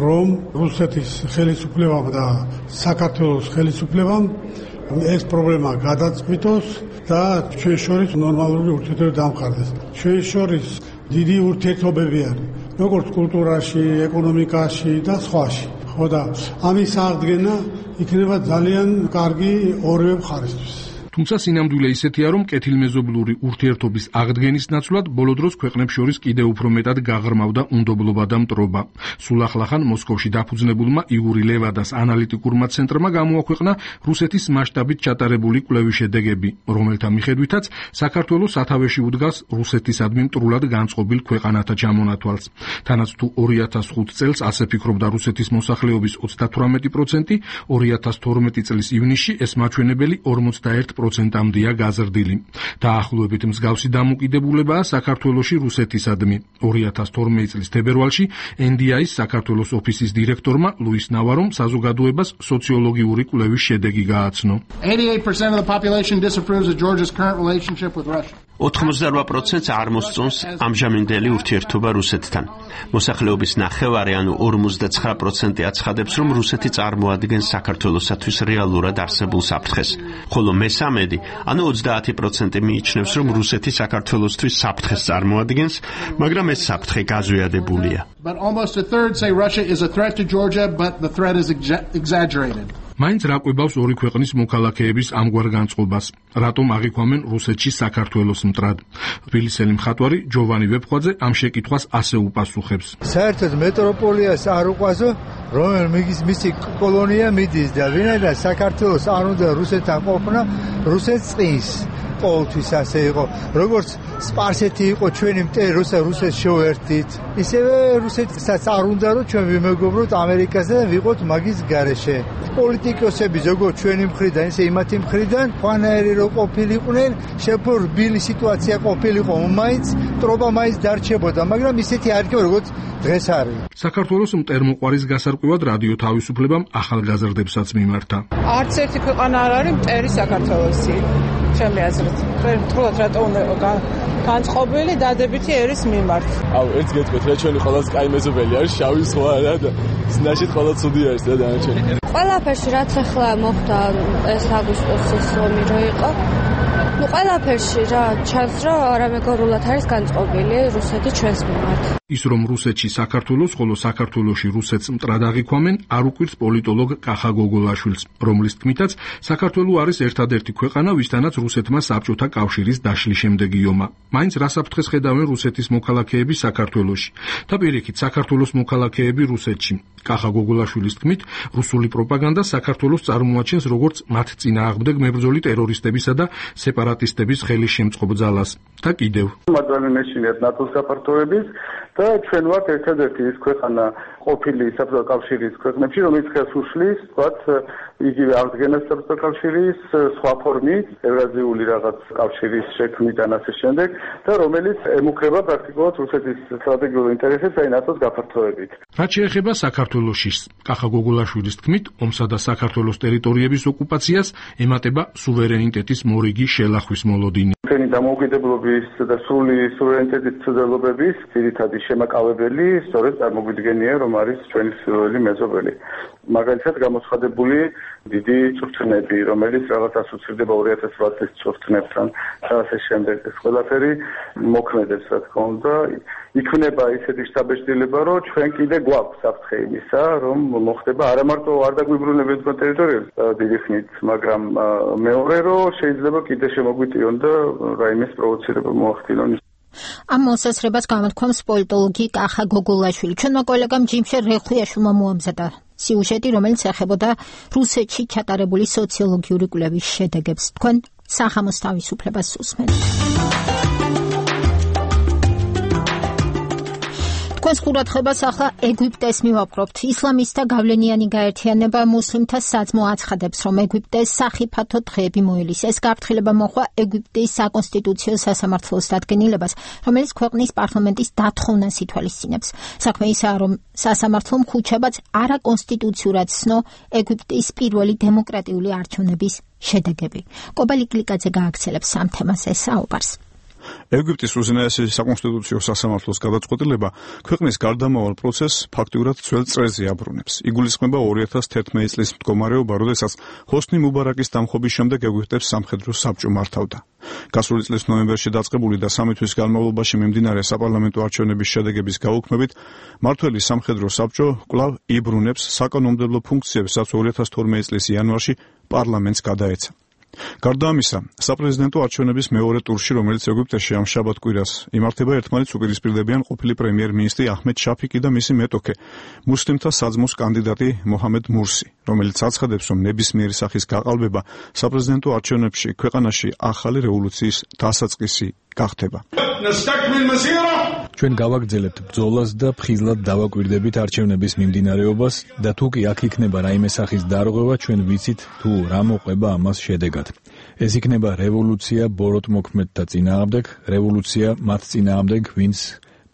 რომ რუსეთის ხელისუფლებამ და საქართველოს ხელისუფლებამ ეს პრობლემა გადაწყვიტოს და ჩვენ შორის ნორმალური ურთიერთობები დამყარდეს. ჩვენ შორის დიდი ურთიერთობები არის, როგორც კულტურაში, ეკონომიკაში და სხვაში. ხო და ამის აღდგენა იქნება ძალიან კარგი ორივე მხარისთვის. თუმცა სინამდვილე ისეთია, რომ კეთილმეზობლური ურთიერთობის აღდგენის ნაცვლად ბოლო დროს ქვეყნებს შორის კიდევ უფრო მეტად გაღრმავდა უნდობლობა და მტრობა. სულ ახლახან მოსკოვში დაფუძნებულმა იგური ლევადას ანალიტიკურმა ცენტრმა გამოაქვეყნა რუსეთის მასშტაბით ჩატარებული კვლევის შედეგები, რომელთა მიხედვითაც საქართველოს სათავეში უდგას რუსეთისადმი მტრულად განწყობილ ქვეყანათა ჩამონათვალს. თანაც თუ 2005 წელს ასე ფიქრობდა რუსეთის მოსახლეობის 38%, 2012 წლის ივნისში ეს მაჩვენებელი 41%-ამდეა გაზრდილი. დაახლოებით მსგავსი დამოკიდებულებაა საქართველოში რუსეთისადმი. 2012 წლის თებერვალში NDI-ის საქართველოს ოფისის დირექტორმა ლუის ნავარომ საზოგადოებას სოციოლოგიური კვლევის შედეგი გააცნო. 88% of the population disapproves of Georgia's current relationship with Russia. 88% არ მოსწონს ამჟამინდელი ურთიერთობა რუსეთთან. მოსახლეობის ნახევარი, ანუ 59% აცხადებს, რომ რუსეთი წარმოადგენს საქართველოსათვის რეალურად არსებულ საფრთხეს, ხოლო მესამედი, ანუ 30% მიიჩნევს, რომ რუსეთი საქართველოსთვის საფრთხეს წარმოადგენს, მაგრამ ეს საფრთხე გაზვიადებულია. But almost a third say Russia is a threat to Georgia, but the threat is exaggerated. მაინც რა ყვებავს ორი ქვეყნის მოქალაქეების ამგვარ განწყობას? რატომ აღიქვამენ რუსეთში საქართველოს მტრად? თბილისელი მხატვარი ჯოვანი ვეფხვაძე ამ შეკითხვას ასე უპასუხებს. საერთოდ მეტროპოლიას არ უყვაზო, რომელიც მისი კოლონია მიდის და ვინაიდან საქართველოს არ უნდა რუსეთთან ყოფნა, რუსეთს წინს. ყოველთვის ასე იყო, როგორც სპარსეთი იყო ჩვენი მტერი, რუსეთს შევერთით, ისევე რუსეთსაც არ უნდა რომ ჩვენ ვიმეგობროთ ამერიკასთან და ვიყოთ მაგის გარეშე. პოლიტიკოსები ზოგადად ჩვენი მხრიდან, ისე იმათი მხრიდან, ფანერი რო ყოფილიყვნენ, შეფორბილი სიტუაცია ყოფილიყო, მაინც ტრობა მაინც დარჩებოდა, მაგრამ ისეთი არ იქნება, როგორც დღეს არის. საქართველოს მტერმოყვარის გასარკვევად რადიო თავისუფლებამ ახალგაზრდებსაც მიმართა. არც ერთი ქვეყანა არ არის მტერი საქართველოსი. ჩემი აზრით. მტრულად რატო უნდა განწყობილი დადებითი ერის მიმართ. აუ, ერთ გეტყვით, რა ჩვენი ყველას კაი მეზობელი არის, შავი სხვა არა და სნაშით ყველა ცუდი არის და დანარჩენი. ყველაფერში რაც ახლა მოხდა ეს აგვისტოსის ომი რო იყო. ნუ ყველაფერში რა ჩანს, რომ არამეგობრულად არის განწყობილი რუსეთი ჩვენს მიმართ. ის რომ რუსეთში საქართველოს, ხოლო საქართველოში რუსეთს მტრად აღიქვამენ, არ უკვირს პოლიტოლოგ კახა გოგოლაშვილს, რომლის თქმითაც საქართველო არის ერთადერთი ქვეყანა, ვისთანაც რუსეთმა საბჭოთა კავშირის დაშლის შემდეგი ომა. მაინც რა საფრთხეს ხედავენ რუსეთის მოქალაქეები საქართველოში და პირიქით საქართველოს მოქალაქეები რუსეთში. კახა გოგოლაშვილის თქმით, რუსული პროპაგანდა საქართველოს წარმოაჩენს როგორც მათ წინააღმდეგ მებრძოლი ტერორისტებისა და სეპარატისტების ხელის შემწყობ ძალას. და კიდევ მადლენ მეშინეთ ნატოს გაფართოების და ჩვენ ვართ ერთადერთი ის ქვეყანა ყოფილი საბჭოთა კავშირის ქვეყნებში, რომელიც ხელს უშლის, ვთქვათ, იგივე აღდგენას საბჭოთა კავშირის სხვა ფორმით, ევრაზიული რაღაც კავშირის შექმნით და ასე შემდეგ, და რომელიც ემუქრება პრაქტიკულად რუსეთის სტრატეგიულ ინტერესებს, აი ნატოს გაფართოებით. რაც შეეხება საქართველოშის, კახა გოგოლაშვილის თქმით, ომსა და საქართველოს ტერიტორიების ოკუპაციას ემატება სუვერენიტეტის მორიგი შელახვის მოლოდინი. ჩვენი დამოუკიდებლობის და სრული სუვერენიტეტის ცდელობების ძირითადი შემაკავებელი სწორედ წარმოგვიდგენია, რომ არის ჩვენი სრული მეზობელი. მაგალითად გამოცხადებული დიდი წვრთნები, რომელიც რაღაც ასოცირდება 2008 წლის წვრთნებთან და ასე შემდეგ. ეს ყველაფერი მოქმედებს, რა თქმა უნდა. იქნება ისეთი შთაბეჭდილება, რომ ჩვენ კიდე გვაქვს საფრთხე იმისა, რომ მოხდება არა მარტო არ დაგვიბრუნებენ თქვენ ტერიტორიებს დიდი ხნით, მაგრამ მეორე, რომ შეიძლება კიდე შემოგვიტიონ და რაიმე პროვოცირება მოახდინონ. ამ მოსაზრებას გამოთქვამს პოლიტოლოგი კახა გოგოლაშვილი. ჩვენმა კოლეგამ ჯიმშერ რეხვიაშვილმა მოამზადა სიუჟეტი, რომელიც ეხებოდა რუსეთში ჩატარებული სოციოლოგიური კვლევის შედეგებს. თქვენ სახამოს თავისუფლებას უსმენთ. Თქვენს ყურადღებას ახლა ეგვიპტეს მივაპყრობთ. ისლამისტთა გავლენიანი გაერთიანება მუსლიმთა საძმო აცხადებს, რომ ეგვიპტეს სახიფათო დღეები მოელის. ეს გაფრთხილება მოხდა ეგვიპტის საკონსტიტუციო სასამართლოს დადგენილებას, რომელიც ქვეყნის პარლამენტის დათხოვნას ითვალისწინებს. საქმე ისაა, რომ სასამართლომ ხუთშაბათს არაკონსტიტუციურად ცნო ეგვიპტის პირველი დემოკრატიული არჩევნების შედეგები. კობალი კლიკაძე გააგრძელებს ამ თემაზე საუბარს. ეგვიპტის უზენაესი საკონსტიტუციო სასამართლოს გადაწყვეტილება ქვეყნის გარდამავალ პროცესს ფაქტიურად ძველ წრეზე აბრუნებს. იგულისხმება 2011 წლის მდგომარეობა, როდესაც ჰოსნი მუბარაკის დამხობის შემდეგ ეგვიპტებს სამხედრო საბჭო მართავდა. გასული წლის ნოემბერში დაწყებული და 3 თვის განმავლობაში მიმდინარე საპარლამენტო არჩევნების შედეგების გაუქმებით, მმართველი სამხედრო საბჭო კვლავ იბრუნებს საკანონმდებლო ფუნქციებს, რაც 2012 წლის იანვარში პარლამენტს გადაეცა. გარდა ამისა, საპრეზიდენტო არჩევნების მეორე ტურში, რომელიც ეგვიპტეში ამ შაბათ-კვირას იმართება, ერთმანეთს უპირისპირდებიან ყოფილი პრემიერ-მინისტრი აჰმედ შაფიკი და მისი მეტოქე, მუსლიმთა საძმოს კანდიდატი მოჰამედ მურსი, რომელიც აცხადებს, რომ ნებისმიერი სახის გაყალბება საპრეზიდენტო არჩევნებში ქვეყანაში ახალი რევოლუციის დასაწყისი გახდება. ჩვენ გავაგრძელებთ ბრძოლას და ფხიზლად დავაკვირდებით არჩევნების მიმდინარეობას და თუ კი აქ იქნება რაიმე სახის დარღვევა, ჩვენ ვიცით თუ რა მოყვება ამას შედეგად. ეს იქნება რევოლუცია ბოროტმოქმედთა წინააღმდეგ, რევოლუცია მათ წინააღმდეგ, ვინც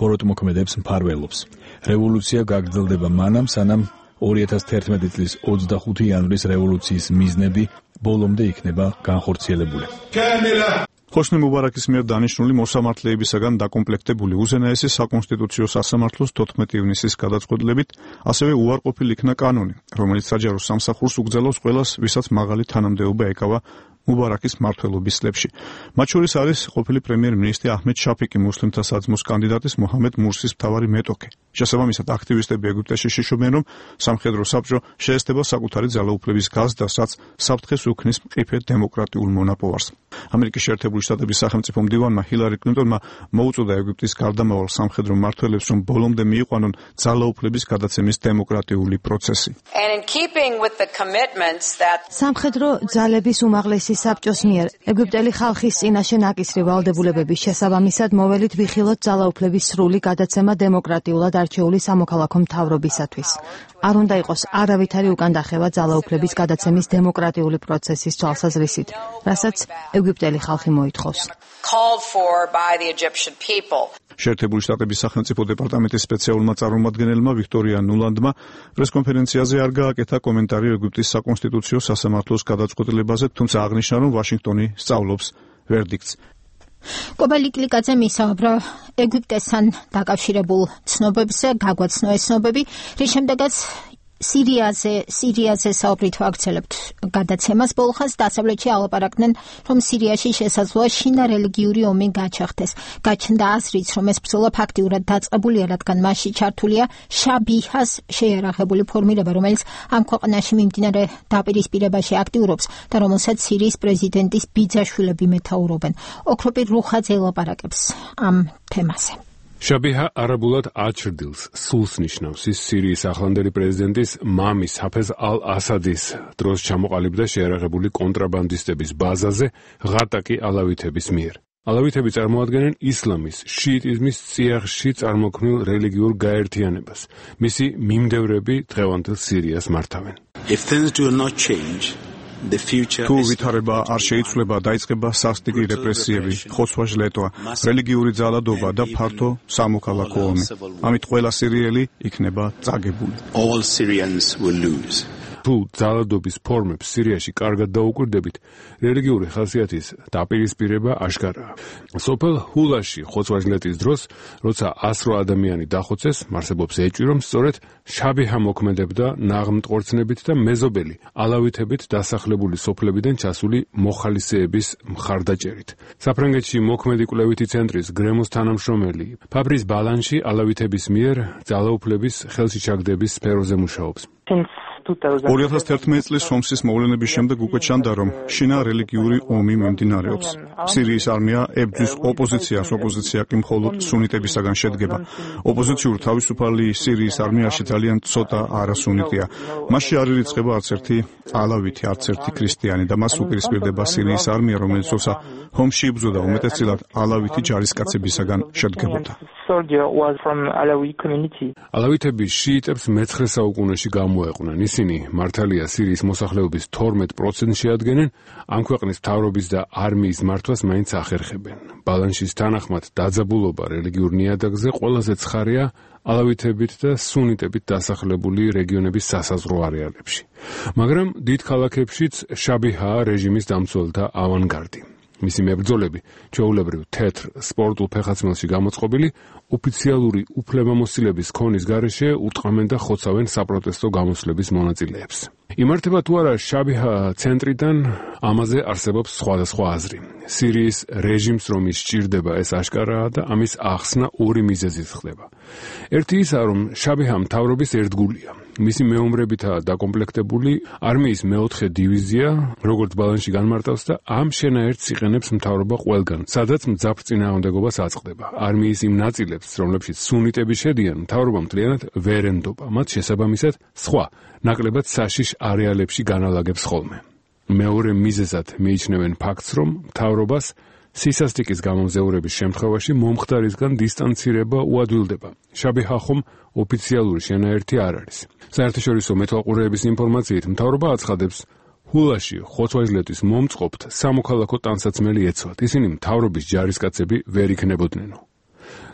ბოროტმოქმედებს მფარველობს. რევოლუცია გაგრძელდება მანამ, სანამ 2011 წლის 25 იანვრის რევოლუციის მიზნები ბოლომდე იქნება განხორციელებული. ჰოსნი მუბარაკის მიერ დანიშნული მოსამართლეებისაგან დაკომპლექტებული უზენაესი საკონსტიტუციო სასამართლოს 14 ივნისის გადაწყვეტილებით ასევე უარყოფილი იქნა კანონი, რომელიც საჯარო სამსახურს უგზელავს ყველას, ვისაც მაღალი თანამდებობა ეკავა მუბარაკის მმართველობის წლებში. მათ შორის არის ყოფილი პრემიერ-მინისტრი აჰმედ შაფიკი, მუსლიმთა საძმოს კანდიდატის მოჰამედ მურსის მთავარი მეტოქე. შესაბამისად, აქტივისტები ეგვიპტეში შიშობენ, რომ სამხედრო საბჭო შეესწება საკუთარი ძალაუფლების გაზრდას, რაც საფრთხეს უქმნის მყიფე დემოკრატიულ მონაპოვარს. ამერიკის შეერთებული შტატების სახელმწიფო მდივანმა ჰილარი კლინტონმა მოუწოდა ეგვიპტის გარდამავალ სამხედრო მმართველებს, რომ ბოლომდე მიიყვანონ ძალაუფლების გადაცემის დემოკრატიული პროცესი. სამხედრო ძალების უმაღლესი საბჭოს მიერ ეგვიპტელი ხალხის წინაშე ნაკისრი ვალდებულებების შესაბამისად მოველით ვიხილოთ ძალაუფლების სრული გადაცემა დემოკრატიულად არჩეული სამოქალაქო მთავრობისათვის. არ უნდა იყოს არავითარი უკან დახევა ძალაუფლების გადაცემის დემოკრატიული პროცესის თვალსაზრისით, რასაც ეგვიპტელი ხალხი მოითხოვს. შეერთებული შტატების სახელმწიფო დეპარტამენტის სპეციალურმა წარმომადგენელმა ვიქტორია ნულანდმა პრესკონფერენციაზე არ გააკეთა კომენტარი ეგვიპტის საკონსტიტუციო სასამართლოს გადაწყვეტილებაზე, თუმცა აღნიშნა, რომ ვაშინგტონი სწავლობს ვერდიქტს. კობალი კლიკაძე მისაუბრა ეგვიპტესთან დაკავშირებულ ცნობებზე, გაგვაცნო ეს ცნობები, რის შემდეგაც სირიაზე საუბრით ვაგრძელებთ გადაცემას. ბოლხას დასავლეთში ალაპარაკდნენ, რომ სირიაში შესაძლოა შინა რელიგიური ომი გაჩაღდეს. გაჩნდა აზრიც, რომ ეს ბრძოლა ფაქტიურად დაწყებულია, რადგან მასში ჩართულია შაბიჰას შეიარაღებული ფორმირება, რომელიც ამ ქვეყანაში მიმდინარე დაპირისპირებაში აქტიურობს და რომელსაც სირიის პრეზიდენტის ბიძაშვილები მეთაურობენ. ოქროპირ რუხაძე ელაპარაკებს ამ თემაზე. შაბიჰა არაბულად აჩრდილს, სულს ნიშნავს. ის სირიის ახლანდელი პრეზიდენტის მამის ჰაფეზ ალ-ასადის დროს ჩამოყალიბდა შეიარაღებული კონტრაბანდისტების ბაზაზე ღატაკი ალავითების მიერ. ალავითები წარმოადგენენ ისლამის, შიიტიზმის წიაღში წარმოქმნილ რელიგიურ გაერთიანებას. მისი მიმდევრები დღევანდელ სირიას მართავენ. თუ ვითარება არ შეიცვლება, დაიწყება სასტიკი რეპრესიები, ხოცვა-ჟლეტვა, რელიგიური ძალადობა და ფართო სამოქალაქო ომი. ამით ყველა სირიელი იქნება წაგებული. თუ ძალადობის ფორმებს სირიაში კარგად დაუკვირდებით, რელიგიური ხასიათის დაპირისპირება აშკარაა. სოფელ ჰულაში ხოცვა-ჟლეტის დროს, როცა 100 ადამიანი დახოცეს, არსებობს ეჭვი, რომ სწორედ შაბიჰა მოქმედებდა ნაღმტყორცნებით და მეზობელი ალავითებით დასახლებული სოფლებიდან ჩასული მოხალისეების მხარდაჭერით. საფრანგეთში მოქმედი კვლევითი ცენტრის გრემოს თანამშრომელი ფაბრის ბალანში ალავითების მიერ ძალაუფლების ხელში ჩაგდების სფეროზე მუშაობს. 2011 წლის ომის მოვლენების შემდეგ უკვე ჩანდა, რომ შინა რელიგიური ომი მიმდინარეობს. სირიის არმია ებრძვის ოპოზიციას, ოპოზიცია კი მხოლოდ სუნიტებისაგან შედგება. ოპოზიციურ თავისუფალი სირიის არმიაში ძალიან ცოტა არასუნიტია. მასში არ ირიცხება არც ერთი ალავითი, არც ერთი ქრისტიანი და მას უპირისპირდება სირიის არმია, რომელიც თორსა ომში იბრძოდა, უმეტესწილად ალავითი ჯარისკაცებისაგან შედგებოდა. ალავითები შიიტებს მე-9 საუკუნეში გამოეყვნენ. ისინი მართალია სირიის მოსახლეობის 12% შეადგენენ, ამ ქვეყნის მთავრობის და არმიის მართვას მაინც ახერხებენ. ბალანსის თანახმად დაძაბულობა რელიგიურ ნიადაგზე ყველაზე ცხარია ალავითებით და სუნიტებით დასახლებული რეგიონების სასაზღვრო არეალებში. მაგრამ დიდ ქალაქებშიც შაბიჰაა რეჟიმის დამცველთა ავანგარდი. მისი მებრძოლები, ჩვეულებრივ თეთრ სპორტულ ფეხაცმელში გამოწყობილი, ოფიციალური უფლებამოსილების ქონის გარეშე უტყამენ და ხოცავენ საპროტესტო გამოსვლების მონაწილეებს. იმართება თუ არა შაბიჰა ცენტრიდან, ამაზე არსებობს სხვადასხვა აზრი. სირიის რეჟიმს რომ ის სჭირდება, ეს აშკარაა და ამის ახსნა ორი მიზეზით ხდება. ერთი ისაა, რომ შაბიჰა მთავრობის ერთგულია. მისი მეომრებითაა დაკომპლექტებული არმიის მე-4 დივიზია, როგორც ბალანსში განმარტავს და ამ შენაერთს იყენებს მთავრობა ყველგან, სადაც მძაფრ წინააღმდეგობას აწყდება. არმიის იმ ნაწილებს, რომლებშიც სუნიტები შედიან, მთავრობა მთლიანად ვერ ენდობა. მათ შესაბამისად, სხვა, ნაკლებად საშიშ არეალებში განალაგებს ხოლმე. მეორე მიზეზად მიიჩნევენ ფაქტს, რომ მთავრობას სისასტიკის გამომზეურების შემთხვევაში მომხდარისგან დისტანცირება უადვილდება. შაბიჰა ხომ ოფიციალური შენაერთი არ არის. საერთაშორისო მეთვალყურეების ინფორმაციით, მთავრობა აცხადებს, ჰულაში ხოცვა-ჟლეტის მომწყობთ სამოქალაქო ტანსაცმელი ეცვათ. ისინი მთავრობის ჯარისკაცები ვერ იქნებოდნენ.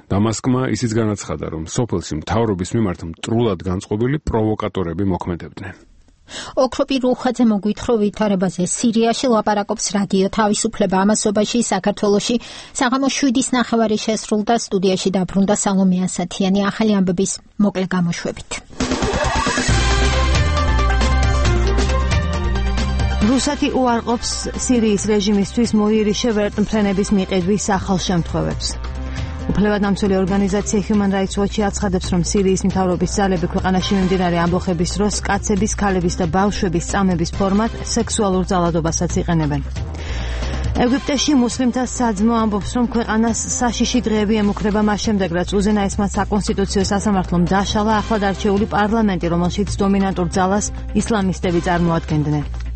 დამასკმა ისიც განაცხადა, რომ სოფელში მთავრობის მიმართ მტრულად განწყობილი პროვოკატორები მოქმედებდნენ. ოქროპი რუხაძე მოგვითხრა ვითარებაზე. სირიაში ლაპარაკობს რადიო თავისუფლება ამასობაში საქართველოში საღამოს 7:09 შესრულდა, სტუდიაში დაბრუნდა სალომე ასათიანი. ახალი ამბების მოკლე გამოშვებით. რუსეთი უარყოფს სირიის რეჟიმისთვის მოიერიშე ვერტმფრენების მიყიდვის ახალშემთხვევებს. უფლებადამცველი ორგანიზაცია Human Rights Watch აცხადებს, რომ სირიის მთავრობის ძალები ქვეყანაში მიმდინარე ამბოხების დროს კაცების, ქალების და ბავშვების წამების ფორმად სექსუალურ ძალადობასაც იყენებენ. ეგვიპტეში მუსლიმთა საძმო ამბობს, რომ ქვეყანას საშიში დღეები ემუქრება მას შემდეგ, რაც უზენაესმა საკონსტიტუციო სასამართლომ დაშალა ახლად არჩეული პარლამენტი, რომელშიც დომინანტურ ძალას ისლამისტები წარმოადგენდნენ.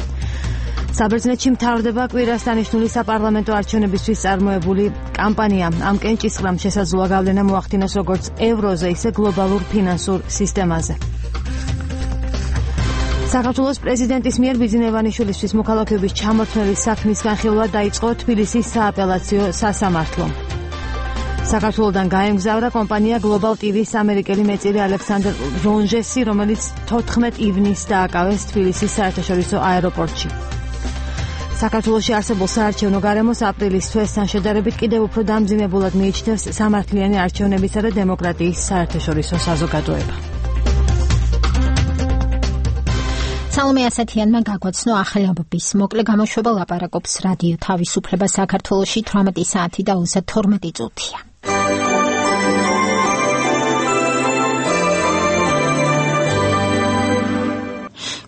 საბერძნეთში მთავრდება კვირას დანიშნული საპარლამენტო არჩევნებისთვის წარმოებული კამპანია. ამ კენჭისყრამ შესაძლოა გავლენა მოახდინოს როგორც ევროზე, ისე გლობალურ ფინანსურ სისტემაზე. საქართველოს პრეზიდენტის მიერ ბიძინევანიშვილისთვის მოქალაქეობის ჩამორთმევის საქმის განხილვა დაიწყო თბილისის სააპელაციო სასამართლომ. საქართველოდან გაემგზავრა კომპანია Global TV-ს ამერიკელი მეწილი ალექსანდრ რონჟესი, რომელიც 14 ივნისს დააკავეს თბილისის საერთაშორისო აეროპორტში. საქართველოში არსებულ საარჩევნო გარემოს აპრილის თვესთან შედარებით კიდევ უფრო დამძიმებულად მიიჩნევს სამართლიანი არჩევნებისა და დემოკრატიის საერთაშორისო საზოგადოება. სალომე ასათიანმა გაგვაცნო ახალი ამბების მოკლე გამოშვება, ლაპარაკობს რადიო თავისუფლება საქართველოში 18 საათი და 32 წუთია.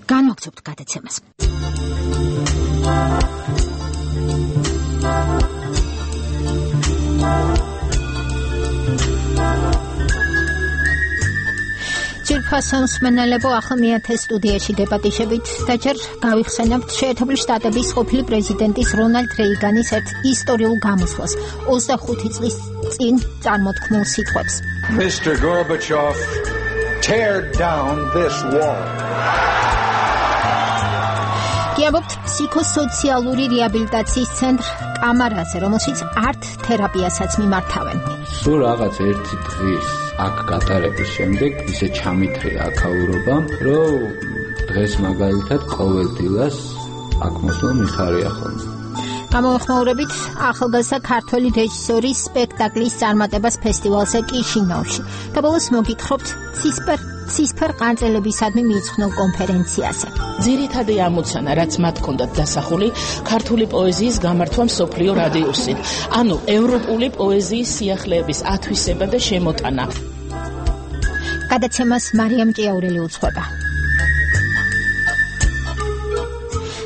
განვაგრძობთ გადაცემას. ჯერფასონს მენელებო ახლა მეათე სტუდიაში დებატიშებით და ჯერ გავიხსენებთ შეერთებული შტატების ყოფილი პრეზიდენტის რონალდ რეიგანის ერთ ისტორიულ გამოსვლას 25 წლის წინ წარმოთქმულ სიტყვებს. Mr. Gorbachev, tear down this wall. გიაბობთ ფსიქოსოციალური რეაბილიტაციის ცენტრ კამარაზე, რომელშიც არტ თერაპიასაც მიმართავენ. სულ რაღაც ერთი დღის აქ გატარების შემდეგ ისე ჩამithრია აქაურობა, რომ დღეს მაგალითად ყოველდღიას აქ მოსვლა მიხარია ხოლმე. გამოეხმაურებით ახალგაზრდა ქართველი რეჟისორის სპექტაკლის წარმატებას ფესტივალზე კიშინოვში. და ბოლოს მოგითხრობთ ცისფერ ყანწელებისადმი მიიძღვნილ კონფერენციაზე. ძირითადი ამოცანა, რაც მათ ჰქონდათ დასახული, ქართული პოეზიის გამართვა მსოფლიო რადიუსით, ანუ ევროპული პოეზიის სიახლეების ათვისება და შემოტანა. გადაცემას მარიამ ჭიაურელი უძღვება.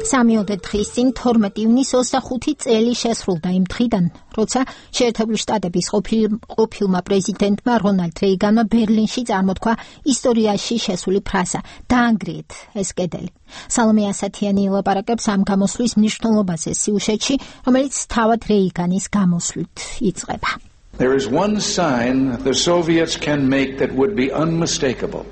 3 დღის წინ 12 ივნის 25 წელი შესრულდა იმ დღიდან, როცა შეერთებული შტატების ყოფილმა პრეზიდენტმა რონალდ რეიგანმა ბერლინში წარმოთქვა ისტორიაში შესული ფრაზა „დაანგრიეთ ეს კედელი“. სალომე ასათიანი ელაპარაკებს ამ გამოსვლის მნიშვნელობაზე სიუჟეტში, რომელიც თავად რეიგანის გამოსვლით იწყება. There is one sign the Soviets can make that would be unmistakable.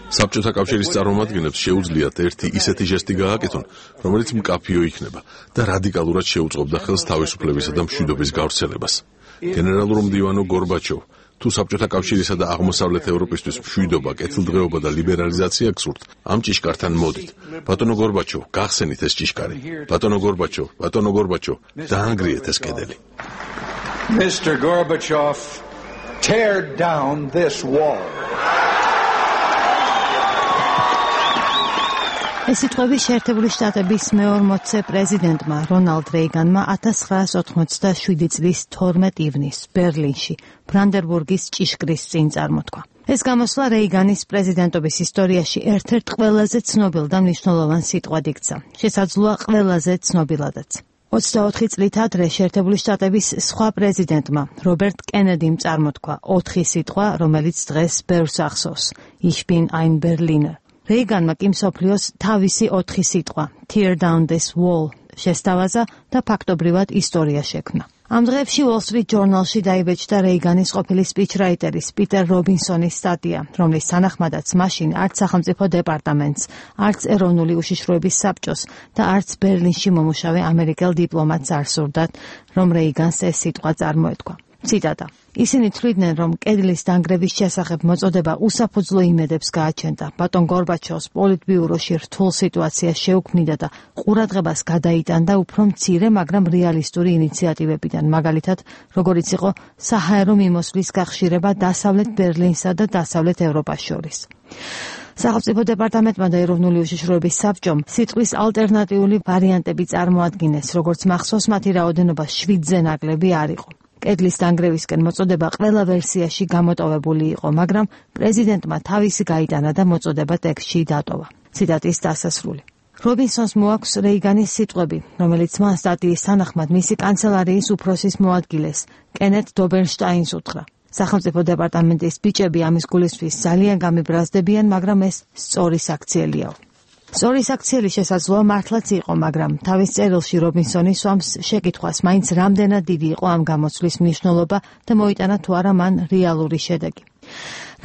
საბჭოთა კავშირის წარმომადგენლებს შეუძლიათ ერთი ისეთი ჟესტი გააკეთონ, რომელიც მკაფიო იქნება და რადიკალურად შეუწყობდა ხელს თავისუფლებისა და მშვიდობის გავრცელებას. გენერალურ მდივანო გორბაჩოვ, თუ საბჭოთა კავშირისა და აღმოსავლეთ ევროპისთვის მშვიდობა, კეთილდღეობა და ლიბერალიზაცია გსურთ, ამ ჭიშკართან მოდით. ბატონო გორბაჩოვ, გახსენით ეს ჭიშკარი. ბატონო გორბაჩოვ, დაანგრიეთ ეს კედელი. Mr. Gorbachev, tear down this wall. ეს სიტყვები შეერთებული შტატების მე-40 პრეზიდენტმა რონალდ რეიგანმა 1987 წლის 12 ივნისს ბერლინში ბრანდენბურგის ჭიშკრის წინ წარმოთქვა. ეს გამოსვლა რეიგანის პრეზიდენტობის ისტორიაში ერთ-ერთ ყველაზე ცნობილ და მნიშვნელოვან სიტყვად იქცა. შესაძლოა ყველაზე ცნობილადაც. 24 წლით ადრე შეერთებული შტატების სხვა პრეზიდენტმა რობერტ კენედიმ წარმოთქვა 4 სიტყვა, რომელიც დღეს ბევრს ახსოვს. Ich bin ein Berliner. რეიგანმა კი მსოფლიოს თავისი 4 სიტყვა Tear down this wall შესთავაზა და ფაქტობრივად ისტორია შექმნა. ამ დღეებში Wall Street Journal-ში დაიბეჭდა რეიგანის ყოფილი სპიჩრაიტერის პიტერ რობინსონის სტატია, რომლის თანახმადაც მაშინ არც სახელმწიფო დეპარტამენტს, არც ეროვნული უშიშროების საბჭოს და არც ბერლინში მომუშავე ამერიკელ დიპლომატს არ სურდათ, რომ რეიგანს ეს სიტყვა წარმოეთქვა. ციტატა. ისინი თვლიდნენ, რომ კედლის დანგრევის შესახებ მოწოდება უსაფუძვლო იმედებს გააჩენდა. ბატონ გორბაჩოვს პოლიტბიუროში რთულ სიტუაციას შეუქმნიდა და ყურადღებას გადაიტანდა უფრო მცირე, მაგრამ რეალისტური ინიციატივებიდან, მაგალითად, როგორიც იყო საჰაერო მიმოსვლის გახშირება დასავლეთ ბერლინსა და დასავლეთ ევროპას შორის. სახელმწიფო დეპარტამენტმა და ეროვნული უშიშროების საბჭომ სიტყვის ალტერნატიული ვარიანტები წარმოადგინეს, როგორც მახსოვს, მათი რაოდენობა 7-ზე ნაკლები არ იყო. კედლის დანგრევისკენ მოწოდება ყველა ვერსიაში გამოტოვებული იყო, მაგრამ პრეზიდენტმა თავისი გაიტანა და მოწოდება ტექსტში დატოვა. ციტატის დასასრული. რობინსონს მოაქვს რეიგანის სიტყვები, რომელიც მან სტატიის თანახმად მისი კანცელარიის უფროსის მოადგილეს, კენეთ დობერნშტაინს უთხრა. სახელმწიფო დეპარტამენტის ბიჭები ამის გულისთვის ძალიან გამიბრაზდებიან, მაგრამ ეს სწორი საქციელიაო. სწორი საქციელი შესაძლოა მართლაც იყო, მაგრამ თავის წერილში რობინსონი სვამს შეკითხვას, მაინც რამდენად დიდი იყო ამ გამოცვლის მნიშვნელობა და მოიტანა თუ არა მან რეალური შედეგი.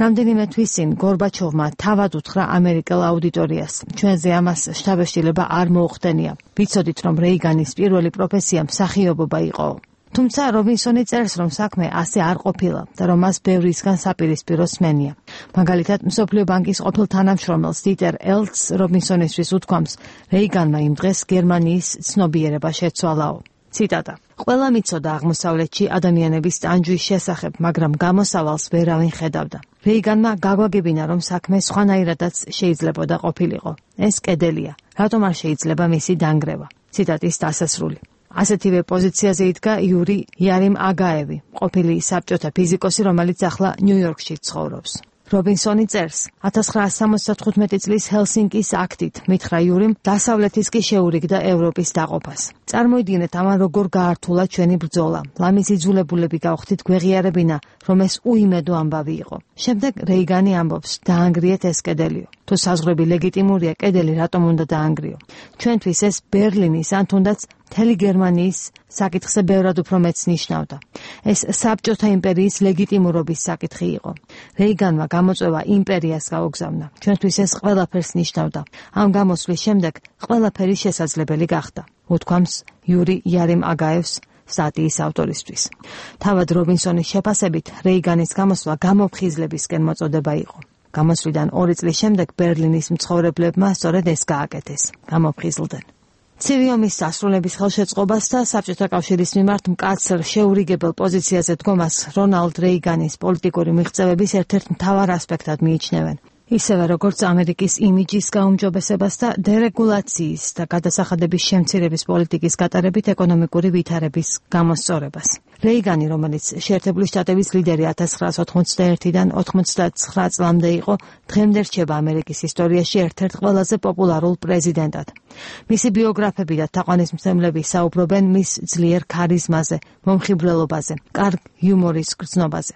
რამდენიმე თვის წინ გორბაჩოვმა თავად უთხრა ამერიკელ აუდიტორიას, ჩვენზე ამას შთაბეჭდილება არ მოუხდენია. ვიცოდით, რომ რეიგანის პირველი პროფესია მსახიობობა იყო. თუმცა რობინსონი წერს, რომ საქმე ასე არ ყოფილა და რომ მას ბევრისგან საპირისპირო სმენია. მაგალითად, მსოფლიო ბანკის ყოფილ თანამშრომელს დიტერ ელცს რობინსონისთვის უთქვამს, რეიგანმა იმ დღეს გერმანიის ცნობიერება შეცვალაო. ციტატა. ყველა მიცოდა აღმოსავლეთში ადამიანების ტანჯვის შესახებ, მაგრამ გამოსავალს ვერავინ ხედავდა. რეიგანმა გაგვაგებინა, რომ საქმე სხვანაირადაც შეიძლებოდა ყოფილიყო. ეს კედელია. რატომ არ შეიძლება მისი დანგრევა? ციტატის დასასრული. ასეთივე პოზიციაზე იდგა იური იარიმ აგაევი, ყოფილი საბჭოთა ფიზიკოსი, რომელიც ახლა ნიუ-იორკში ცხოვრობს. რობინსონი წერს, 1975 წლის ჰელსინკის აქტით მითხრა იურიმ დასავლეთის კი შეურიგდა ევროპის დაყოფას. წარმოიდგინეთ, ამან როგორ გაართულა ჩვენი ბრძოლა. ლამის იძულებულები გავხდით გვეღიარებინა, რომ ეს უიმედო ამბავი იყო. შემდეგ რეიგანი ამბობს, დაანგრიეთ ეს კედელიო. თუ საზღვრები ლეგიტიმურია, კედელი რატომ უნდა დაანგრიო? ჩვენთვის ეს ბერლინის ან თუნდაც მთელი გერმანიის საკითხზე ბევრად უფრო მეც ნიშნავდა. ეს საბჭოთა იმპერიის ლეგიტიმურობის საკითხი იყო. რეიგანმა გამოწვევა იმპერიას გაუგზავნა. ჩვენთვის ეს ყველაფერს ნიშნავდა. ამ გამოსვლის შემდეგ ყველაფერი შესაძლებელი გახდა. უთქვამს იური იარიმ აგაევს სტატიის ავტორისთვის. თავად რობინსონის შეფასებით, რეიგანის გამოსვლა გამოფხიზლებისკენ მოწოდება იყო. გამოსვლიდან 2 წლის შემდეგ ბერლინის მცხოვრებლებმა სწორედ ეს გააკეთეს. გამოფხიზლდნენ. ცივი ომის დასრულების ხელშეწყობას და საბჭოთა კავშირის მიმართ მკაცრ შეურიგებელ პოზიციაზე დგომას რონალდ რეიგანის პოლიტიკური მიღწევების ერთ-ერთ მთავარ ასპექტად მიიჩნევენ. ისევე როგორც ამერიკის იმიჯის გაუმჯობესებას და დერეგულაციის და გადასახადების შემცირების პოლიტიკის გატარებით ეკონომიკური ვითარების გამოსწორებას. რეიგანი, რომელიც შეერთებული შტატების ლიდერი 1991-დან 99 წლამდე იყო, დღემდე რჩება ამერიკის ისტორიაში ერთ-ერთ ყველაზე პოპულარულ პრეზიდენტად. მისი ბიოგრაფები და თაყვანისმცემლები საუბრობენ მის ძლიერ ქარიზმაზე, მომხიბვლელობაზე, კარგ იუმორის გრძნობაზე.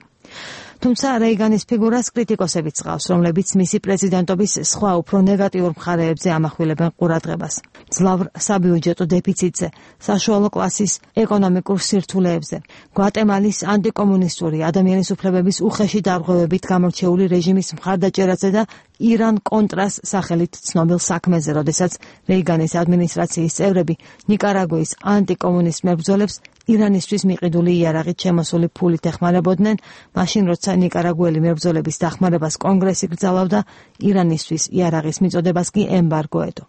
თუმცა რეიგანის ფიგურას კრიტიკოსებიც ყავს, რომლებიც მისი პრეზიდენტობის სხვა უფრო ნეგატიურ მხარეებზე ამახვილებენ ყურადღებას. ძლავრ საბიუჯეტო დეფიციტზე, საშუალო კლასის ეკონომიკურ სირთულეებზე, გვატემალის ანტიკომუნისტური ადამიანის უფლებების უხეში დარღვევებით გამორჩეული რეჟიმის მხარდაჭერაზე და ირან-კონტრას სახელით ცნობილ საქმეზე, როდესაც რეიგანის ადმინისტრაციის წევრები ნიკარაგუის ანტიკომუნისტ მებრძოლებს ირანისთვის მიყიდული იარაღით შემოსული ფულით ეხმარებოდნენ, მაშინ როცა ნიკარაგუელი მებრძოლების დახმარებას კონგრესი გრძალავდა, ირანისთვის იარაღის მიწოდებას კი ემბარგო ედო.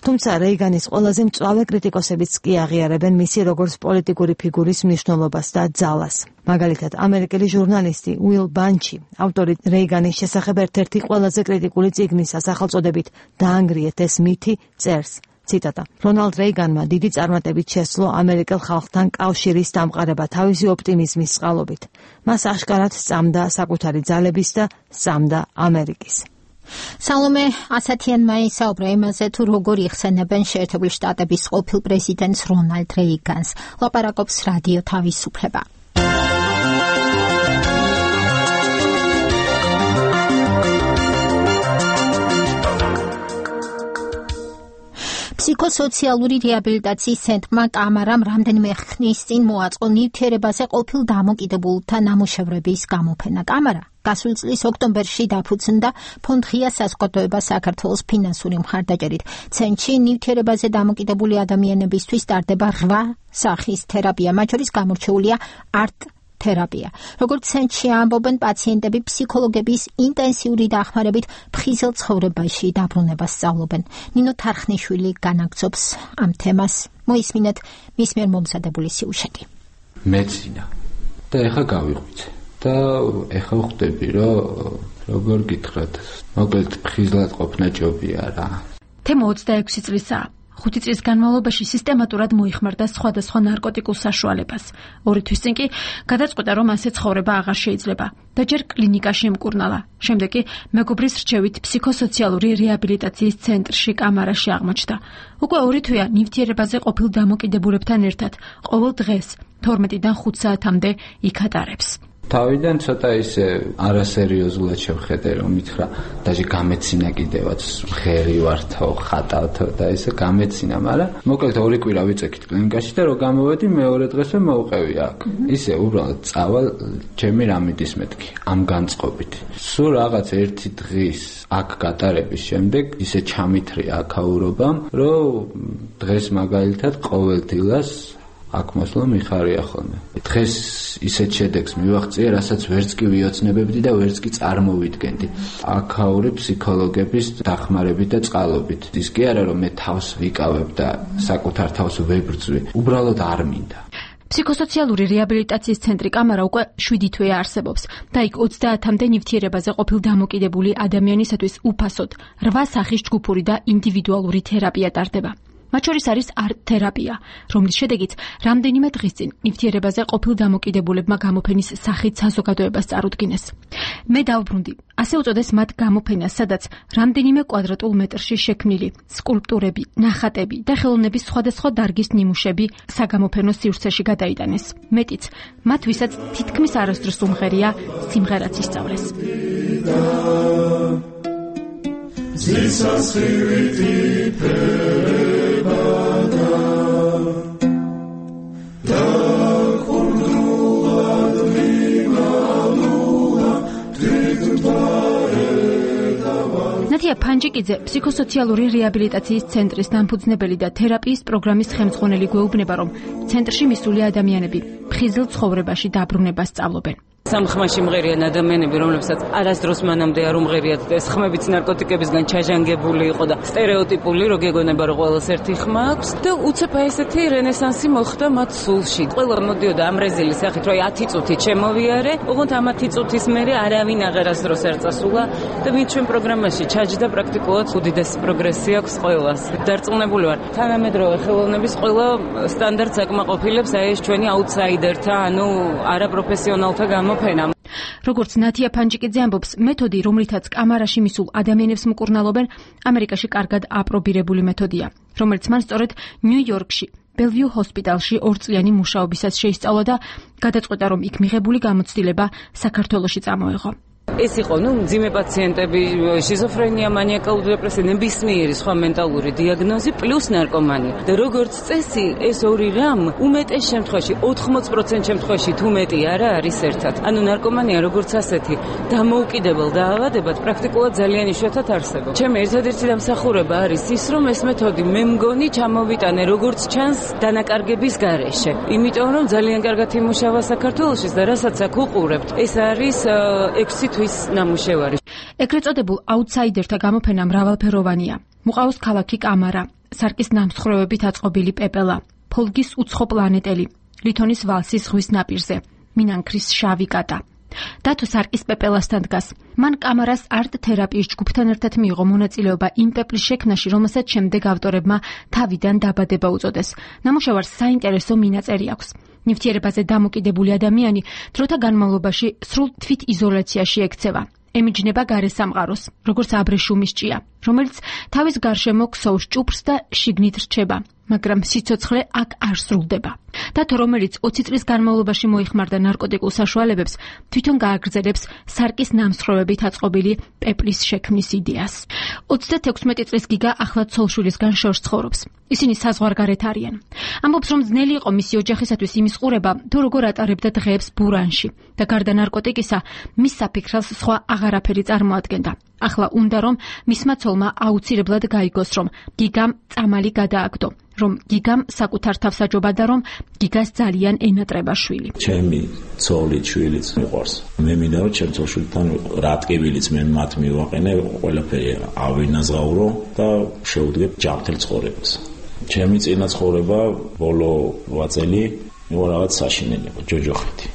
თუმცა რეიგანის ყველაზე მწვავე კრიტიკოსებიც კი აღიარებენ მისი როგორც პოლიტიკური ფიგურის მნიშვნელობას და ძალას. მაგალითად, ამერიკელი ჟურნალისტი უილ ბანჩი, ავტორი რეიგანის შესახებ ერთ-ერთი ყველაზე კრიტიკული წიგნის სახელწოდებით „დაანგრიეთ ეს მითი“ წერს. ციტატა: რონალდ რეიგანმა დიდი წარმატებით შესძლო ამერიკელ ხალხთან კავშირის დამყარება თავისი ოპტიმიზმის წყალობით. მას აშკარად სწამდა საკუთარი ძალების და სწამდა ამერიკის. სალომე ასათიანმა ისაუბრა იმაზე, თუ როგორ იხსენებენ შეერთებული შტატების ყოფილ პრეზიდენტს რონალდ რეიგანს. ლაპარაკობს რადიო თავისუფლება. ფსიქოსოციალური რეაბილიტაციის ცენტრმა კამარამ რამდენიმე ხნის წინ მოაწყო ნივთიერებაზე ყოფილ დამოკიდებულთა ნამუშევრების გამოფენა. კამარა გასულ წლის ოქტომბერში დაფუძნდა ფონდ ღია საზოგადოება საქართველოს ფინანსური მხარდაჭერით. ცენტრში ნივთიერებაზე დამოკიდებული ადამიანებისთვის ტარდება 8 სახის თერაპია, მათ შორის გამორჩეულია არტ თერაპია. როგორც ცენტრში ამბობენ, პაციენტები ფსიქოლოგების ინტენსიური დახმარებით ფხიზელ ცხოვრებაში დაბრუნებას სწავლობენ. ნინო თარხნიშვილი განაგრძობს ამ თემას. მოისმინეთ მის მიერ მომზადებული სიუჟეტი. მეცინა და ეხა გავიღვიძე და ეხა ხვდები, რომ როგორ გითხრათ, მოკლედ ფხიზლად ყოფნა ჯობია რა. თემო 26 წლისაა. 5 წლის განმავლობაში სისტემატურად მოიხმარდა სხვადასხვა ნარკოტიკულ საშუალებას. 2 თვის წინ კი გადაწყვეტა, რომ ასე ცხოვრება აღარ შეიძლება და ჯერ კლინიკაში ემკურნალა. შემდეგ კი მეგობრის რჩევით ფსიქოსოციალური რეაბილიტაციის ცენტრში კამარაში აღმოჩნდა. უკვე 2 თვეა ნივთიერებაზე ყოფილ დამოკიდებულებთან ერთად ყოველ დღეს 12-დან 5 საათამდე იქ ატარებს. თავიდან ცოტა ისე არასერიოზულად შევხედე, რომ მითხრა, დაჟე გამეცინა კიდევაც, ხერი ვართო, ხატავთო და ისე გამეცინა, მაგრამ მოკლედ 2 კვირა ვიწექით კლინიკაში და რო გამოვედი, მეორე დღესვე მოვყევი აქ. ისე უბრალოდ წავალ ჩემი რამიდის მეთქი, ამ განწყობით. სულ რაღაც 1 დღის აქ გატარების შემდეგ ისე ჩამithრია აქაურობამ, რომ დღეს მაგალითად ყოველდღიურად აქ მოსვლა მიხარია ხოლმე. დღეს ისეთ შედეგს მივაღწია, რასაც ვერც კი ვიოცნებებდი და ვერც კი წარმოვიდგენდი. აქაური ფსიქოლოგების დახმარებით და წყალობით. ის კი არა, რომ მე თავს ვიკავებ და საკუთარ თავს ვებრძვი. უბრალოდ არ მინდა. ფსიქოსოციალური რეაბილიტაციის ცენტრი კამარა უკვე 7 თვეა არსებობს და იქ 30-მდე ნივთიერებაზე ყოფილ დამოკიდებული ადამიანისათვის უფასოდ 8 სახის ჯგუფური და ინდივიდუალური თერაპია ტარდება. მათ შორის არის არტ თერაპია, რომლის შედეგით რამდენიმე დღის წინ ნივთიერებაზე ყოფილ დამოკიდებულებმა გამოფენის სახით საზოგადოებას წარუდგინეს. მე დავბრუნდი, ასე უწოდეს მათ გამოფენას, სადაც რამდენიმე კვადრატულ მეტრში შექმნილი სკულპტურები, ნახატები და ხელოვნების სხვადასხვა დარგის ნიმუშები საგამოფენო სივრცეში გადაიტანეს. მეტიც, მათ ვისაც თითქმის არასდროს უმღერია სიმღერაც ისწავლეს. ნათია ფანჯიკიძე ფსიქოსოციალური რეაბილიტაციის ცენტრის დამფუძნებელი და თერაპიის პროგრამის ხელმძღვანელი გვეუბნება, რომ ცენტრში მისული ადამიანები ფხიზელ ცხოვრებაში დაბრუნებას სწავლობენ. სამხმაში მღერიან ადამიანები, რომლებსაც არასდროს მანამდე არ უმღერიათ და ეს ხმებიც ნარკოტიკებისგან ჩაჟანგებული იყო და სტერეოტიპული, რო გეგონება რომ ყველას ერთი ხმა აქვს და უცებ ესეთი რენესანსი მოხდა მათ სულში. ყველა მოდიოდა ამ რეზილის სახით, რომ 10 წუთი ჩემოვიარე, ოღონდ ამ 10 წუთის მერე არავინ აღარასდროს არ წასულა და ვინ ჩვენ პროგრამაში ჩაჯდა პრაქტიკულად უდიდესი პროგრესი აქვს ყველას. დარწმუნებული ვარ, თანამედროვე ხელოვნების ყველა სტანდარტს აკმაყოფილებს აი ეს ჩვენი აუთსაიდერთა, ანუ არაპროფესიონალთა გამოფენა. როგორც ნათია ფანჯიკიძე ამბობს, მეთოდი, რომლითაც კამარაში მისულ ადამიანებს მკურნალობენ, ამერიკაში კარგად აპრობირებული მეთოდია, რომელიც მან სწორედ ნიუ-იორკში ბელვიუ ჰოსპიტალში 2 წლიანი მუშაობისას შეისწავლა და გადაწყვეტა, რომ იქ მიღებული გამოცდილება საქართველოში წამოეღო. ეს იყო, მძიმე პაციენტები, შიზოფრენია, მანიაკალური დეპრესია, ნებისმიერი სხვა მენტალური დიაგნოზი პლუს ნარკომანია. და როგორც წესი, ეს ორი რამ უმეტეს შემთხვევაში, 80% შემთხვევაში თუ მეტი არა არის ერთად. ანუ ნარკომანია როგორც ასეთი დამოუკიდებელ დაავადებად პრაქტიკულად ძალიან იშვიათად არსებობს. ჩემი ერთადერთი დამსახურება არის ის, რომ ეს მეთოდი მე მგონი ჩამოვიტანე როგორც ჩანს დანაკარგების გარეშე. იმიტომ რომ ძალიან კარგად იმუშავა საქართველოში და რასაც აქ უყურებთ, ეს არის 6 თვის ნამუშევარი. ეგრეთ წოდებულ აუთსაიდერთა გამოფენა მრავალფეროვანია. მოყავს ქალაქი კამარა, სარკის ნამსხვრევებით აწყობილი პეპელა, ფოლგის უცხო პლანეტელი, ლითონის ვალსის ზღვის ნაპირზე, მინანქრის შავი კატა. დათო სარკის პეპელასთან დგას. მან კამარას არტ თერაპიის ჯგუფთან ერთად მიიღო მონაწილეობა იმ პეპლის შექმნაში, რომელსაც შემდეგ ავტორებმა თავიდან დაბადება უწოდეს. ნამუშევარს საინტერესო მინაწერი აქვს. ნივთიერებაზე დამოკიდებული ადამიანი დროთა განმავლობაში სრულ თვითიზოლაციაში ექცევა. ემიჯნება გარე სამყაროს, როგორც აბრეშუმის ჭია, რომელიც თავის გარშემო ქსოვს ჭუპრს და შიგნით რჩება, მაგრამ სიცოცხლე აქ არ სრულდება. დათო, რომელიც 20 წლის განმავლობაში მოიხმარდა ნარკოტიკულ საშუალებებს, თვითონ გააგრძელებს სარკის ნამსხვრევებით აწყობილი პეპლის შექმნის იდეას. 36 წლის გიგა ახლა ცოლშვილისგან შორს ცხოვრობს. ისინი საზღვარგარეთ არიან. ამბობს, რომ ძნელი იყო მისი ოჯახისათვის იმის ყურება, თუ როგორ ატარებდა დღეებს ბურანში და გარდა ნარკოტიკისა, მის საფიქრას სხვა აღარაფერი წარმოადგენდა. ახლა უნდა რომ მისმა ცოლმა აუცილებლად გაიგოს, რომ გიგამ წამალი გადააგდო, რომ გიგამ საკუთარ თავს აჯობა და რომ გიგას ძალიან ენატრება შვილი. ჩემი ცოლი, შვილიც მიყვარს. მე მინდა რომ ჩემ ცოლშვილთან რა ტკივილიც მე მათ მივაყენე, ყველაფერი ავინაზღაურო და შევდგებ ჯანმრთელ ცხოვრებას. ჩემი წინა ცხოვრება ბოლო 8 წელი იყო რაღაც საშინელება, ჯოჯოხეთი.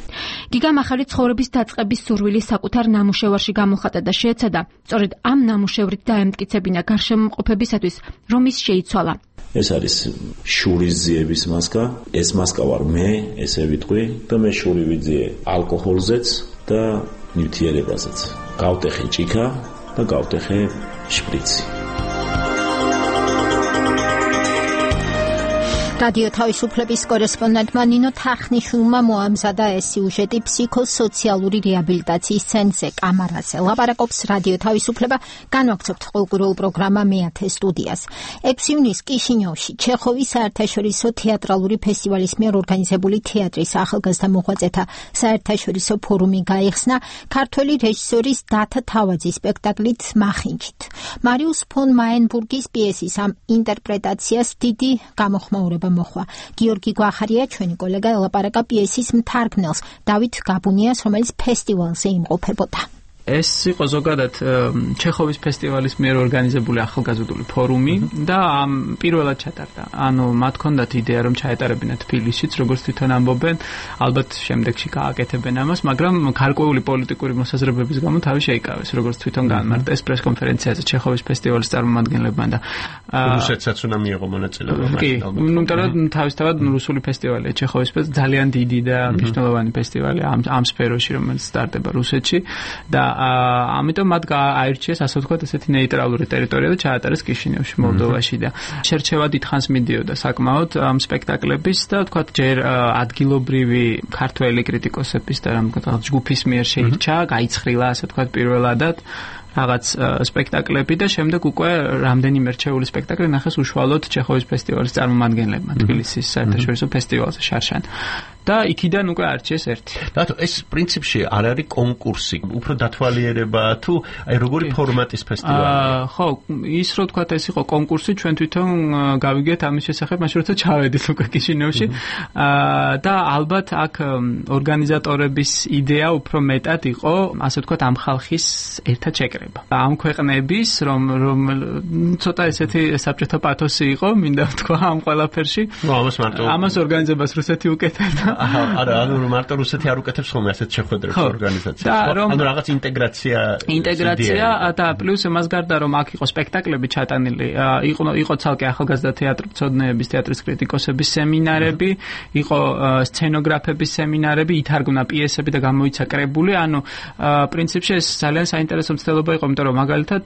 გიგამ ახალი ცხოვრების დაწყების სურვილი საკუთარ ნამუშევარში გამოხატა და შეეცადა სწორედ ამ ნამუშევრით დაემტკიცებინა გარშემოყოფებისათვის, რომ ის შეიცვალა. ეს არის შურის ძიების მასკა, ეს მასკა ვარ მე, ესე ვიტყვი და მე შური ვიძიე ალკოჰოლზეც და ნივთიერებაზეც. გავტეხე ჭიქა და გავტეხე შპრიცი. რადიო თავისუფლების კორესპონდენტმა ნინო თახნიშვილმა მოამზადა ეს სიუჟეტი ფსიქოსოციალური რეაბილიტაციის ცენტრზე კამარაზე. ლაპარაკობს რადიო თავისუფლება, განვაგრძობთ ყოველკვირეულ პროგრამა მეათე სტუდიას. 6 ივნისს კიშინიოვში ჩეხოვის საერთაშორისო თეატრალური ფესტივალის მიერ ორგანიზებული თეატრის ახალგაზრდა მოღვაწეთა საერთაშორისო ფორუმი გაიხსნა ქართველი რეჟისორის დათა თავაძის სპექტაკლით მახინჯით. მარიუს ფონ მაენბურგის პიესის ამ ინტერპრეტაციას დიდი გამოხმაურება მოხვა. გიორგი გვახარია, ჩვენი კოლეგა, ელაპარაკა პიესის მთარგმნელს დავით გაბუნიას, რომელიც ფესტივალზე იმყოფებოდა. ეს იყო ზოგადად ჩეხოვის ფესტივალის მიერ ორგანიზებული ახალგაზრდული ფორუმი და პირველად ჩატარდა. ანუ მათ ჰქონდათ იდეა რომ ჩაეტარებინათ თბილისშიც, როგორც თვითონ ამბობენ, ალბათ შემდეგში გააკეთებენ ამას, მაგრამ გარკვეული პოლიტიკური მოსაზრებების გამო თავი შეიკავეს, როგორც თვითონ განმარტა ეს პრესკონფერენციაზე ჩეხოვის ფესტივალის წარმომადგენლებმა და რუსეთსაც უნდა მიიღო მონაწილეობა. კი, ნუ თავისთავად რუსული ფესტივალია ჩეხოვის ძალიან დიდი და მნიშვნელოვანი ფესტივალი ამ სფეროში, რომელიც სტარტდება რუსეთში და ამიტომ მათ აირჩიეს, ასე ვთქვათ, ესეთი ნეიტრალური ტერიტორია და ჩაატარეს კიშინიოვში, მოლდოვაში და შერჩევა დიდხანს მიდიოდა საკმაოდ ამ სპექტაკლების და ვთქვათ, ჯერ ადგილობრივი ქართველი კრიტიკოსების და რაღაც ჯგუფის მიერ შეირჩა, გაიცხრილა, ასე ვთქვათ, პირველადად რაღაც სპექტაკლები და შემდეგ უკვე რამდენიმე რჩეული სპექტაკლი ნახეს უშუალოდ ჩეხოვის ფესტივალის წარმომადგენლებმა თბილისის საერთაშორისო ფესტივალზე შარშან. და იქიდან უკვე არჩიეს ერთი. რატო ეს პრინციპში არ არის კონკურსი, უფრო დათვალიერება თუ აი როგორი ფორმატის ფესტივალია? ხო, ის რო თქვა ეს იყო კონკურსი, ჩვენ თვითონ გავიგეთ ამის შესახებ, მაშინ როცა ჩავედით უკვე კიშინევში. და ალბათ აქ ორგანიზატორების იდეა უფრო მეტად იყო, ასე ვთქვათ, ამ ხალხის ერთად შეკრება. ამ ქვეყნების რომ ცოტა ესეთი საბჭოთა პათოსი იყო, მინდა ვთქვა ამ ყველაფერში. ამას ორგანიზებას რუსეთი უკეთებდა. არა, ანუ მარტო რუსეთი არ უკეთებს ხოლმე ასეთ შეხვედრებს ორგანიზაციას. ანუ რაღაც ინტეგრაცია და პლუს მას გარდა რომ აქ იყო სპექტაკლები ჩატანილი, იყო ცალკე ახალგაზრდა თეატრწოდნეების, თეატრის კრიტიკოსების სემინარები, იყო სცენოგრაფების სემინარები, ითარგმნა პიესები და გამოიცა კრებული, ანუ პრინციპში ეს ძალიან საინტერესო მცდელობა იყო, იმიტომ რომ მაგალითად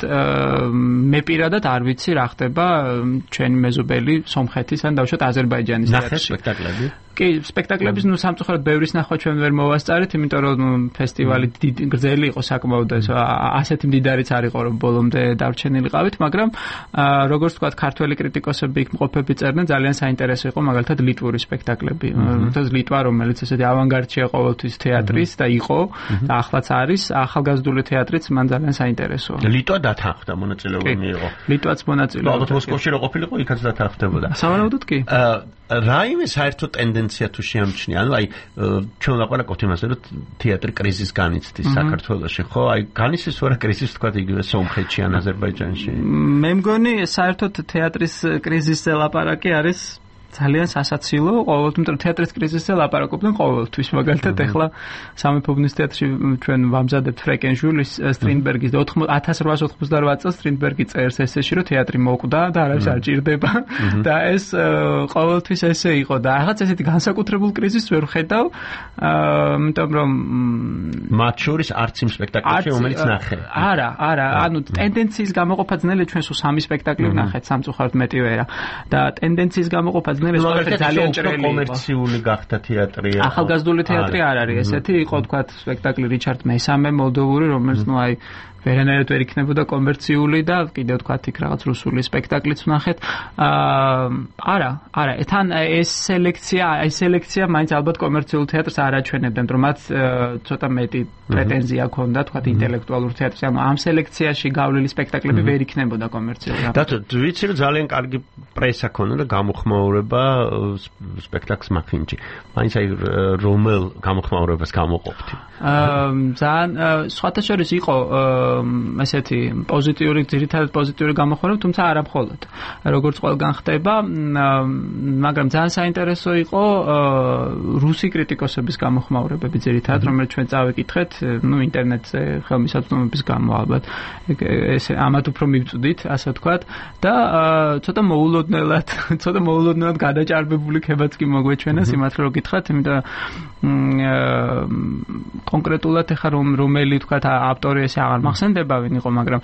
მე პირადად არ ვიცი რა ხდება ჩვენი მეზობელი სომხეთის ან დავუშვათ აზერბაიჯანის თეატრში. სპექტაკლები? კი, სპექტაკლების სამწუხაროდ ბევრის ნახვა ჩვენ ვერ მოვასწარით, იმიტომ რომ ფესტივალი გრძელი იყო საკმაოდ, ასეთი მდიდარიც არ იყო, რომ ბოლომდე დარჩენილიყავით, მაგრამ როგორც თქვა, ქართველი კრიტიკოსები იქ მყოფები წერდნენ, ძალიან საინტერესო იყო მაგალითად ლიტვური სპექტაკლები. ლიტვა, რომელიც ესეთი ავანგარდშია ყოველთვის თეატრის და იყო და ახლაც არის, ახალგაზრდული თეატრიც მან ძალიან საინტერესოა. ლიტვა დათანხმდა, მონაწილეობა მიიღო. ლიტვაც მონაწილეობა. ალბათ მოსკოვში რო ყოფილიყო, იქაც დათანხმდებოდა. სავარაუდოდ კი. რაიმე საერთო ტენდენცია თუ შეამჩნია, ანუ აი ჩვენ ლაპარაკობთ იმაზე, რომ თეატრი კრიზისს განიცდის საქართველოში, ხო? აი განიცდის ვარა კრიზისს თქვა იგივე სომხეთში ან აზერბაიჯანში. მე მგონი საერთოდ თეატრის კრიზისზე ლაპარაკი არის ძალიან სასაცილო, ყოველთვის, იმიტომ რომ თეატრის კრიზისზე ლაპარაკობდნენ ყოველთვის, მაგალითად ახლა სამეფო ბუნების თეატრში ჩვენ ვამზადებთ ფრეკენჟულის სტრინბერგის 1888 წელს სტრინბერგი წერს ესეში, რომ თეატრი მოკვდა და არავის არ ჭირდება და ეს ყოველთვის ესე იყო და რაღაც ესეთი განსაკუთრებულ კრიზისს ვერ ვხედავ, იმიტომ რომ მათ შორის არც იმ სპექტაკლებში რომელიც ნახე. არა, ანუ ტენდენციის გამოყოფა ძნელია, ჩვენ სულ 3 სპექტაკლი ვნახეთ, სამწუხაროდ მეტი ვერა და ტენდენციის გამოყოფა ძალიან ჭრელი კომერციული გახდა თეატრი. ახალგაზრდული თეატრი არ არის ესეთი, იყო თქვა სპექტაკლი რიჩარდ მესამე მოლდოვური, რომელიც ნუ აი ვერანაირად ვერ იქნებოდა კომერციული და კიდევ თქვა იქ რაღაც რუსული სპექტაკლიც ვნახეთ. არა, თან ეს სელექცია მაინც ალბათ კომერციულ თეატრს არ აჩვენებდნენ, რომ მათ ცოტა მეტი პრეტენზია ჰქონდა თქვა ინტელექტუალურ თეატრს, ანუ ამ სელექციაში გავლილი სპექტაკლები ვერ იქნებოდა კომერციული. დათო, ვიცი რომ ძალიან კარგი პრესა ქონდა და გამოხმაურება სპექტაკლს მაქინჯი. მაინც აი რომელ გამოხმაურებას გამოყოფთი? ძალიან სხვათა შორის იყო ესეთი პოზიტიური, ძირითადად პოზიტიური გამოხმაურება, თუმცა არა მხოლოდ. როგორც ყველგან ხდება, მაგრამ ძალიან საინტერესო იყო რუსი კრიტიკოსების გამოხმაურებები ძირითადად, რომელიც ჩვენ წავიკითხეთ, ნუ ინტერნეტზე ხელმისაწვდომობის გამო ალბათ. ესე ამათ უფრო მივწვდით, ასე ვთქვათ და ცოტა მოულოდნელად გადაჭარბებული ქებაც კი მოგვეჩვენა სიმართლე რო გითხრათ, იმიტომ კონკრეტულად ახლა რომელი ვთქვათ ავტორი ესე აღარ მახსენდება ვინ იყო, მაგრამ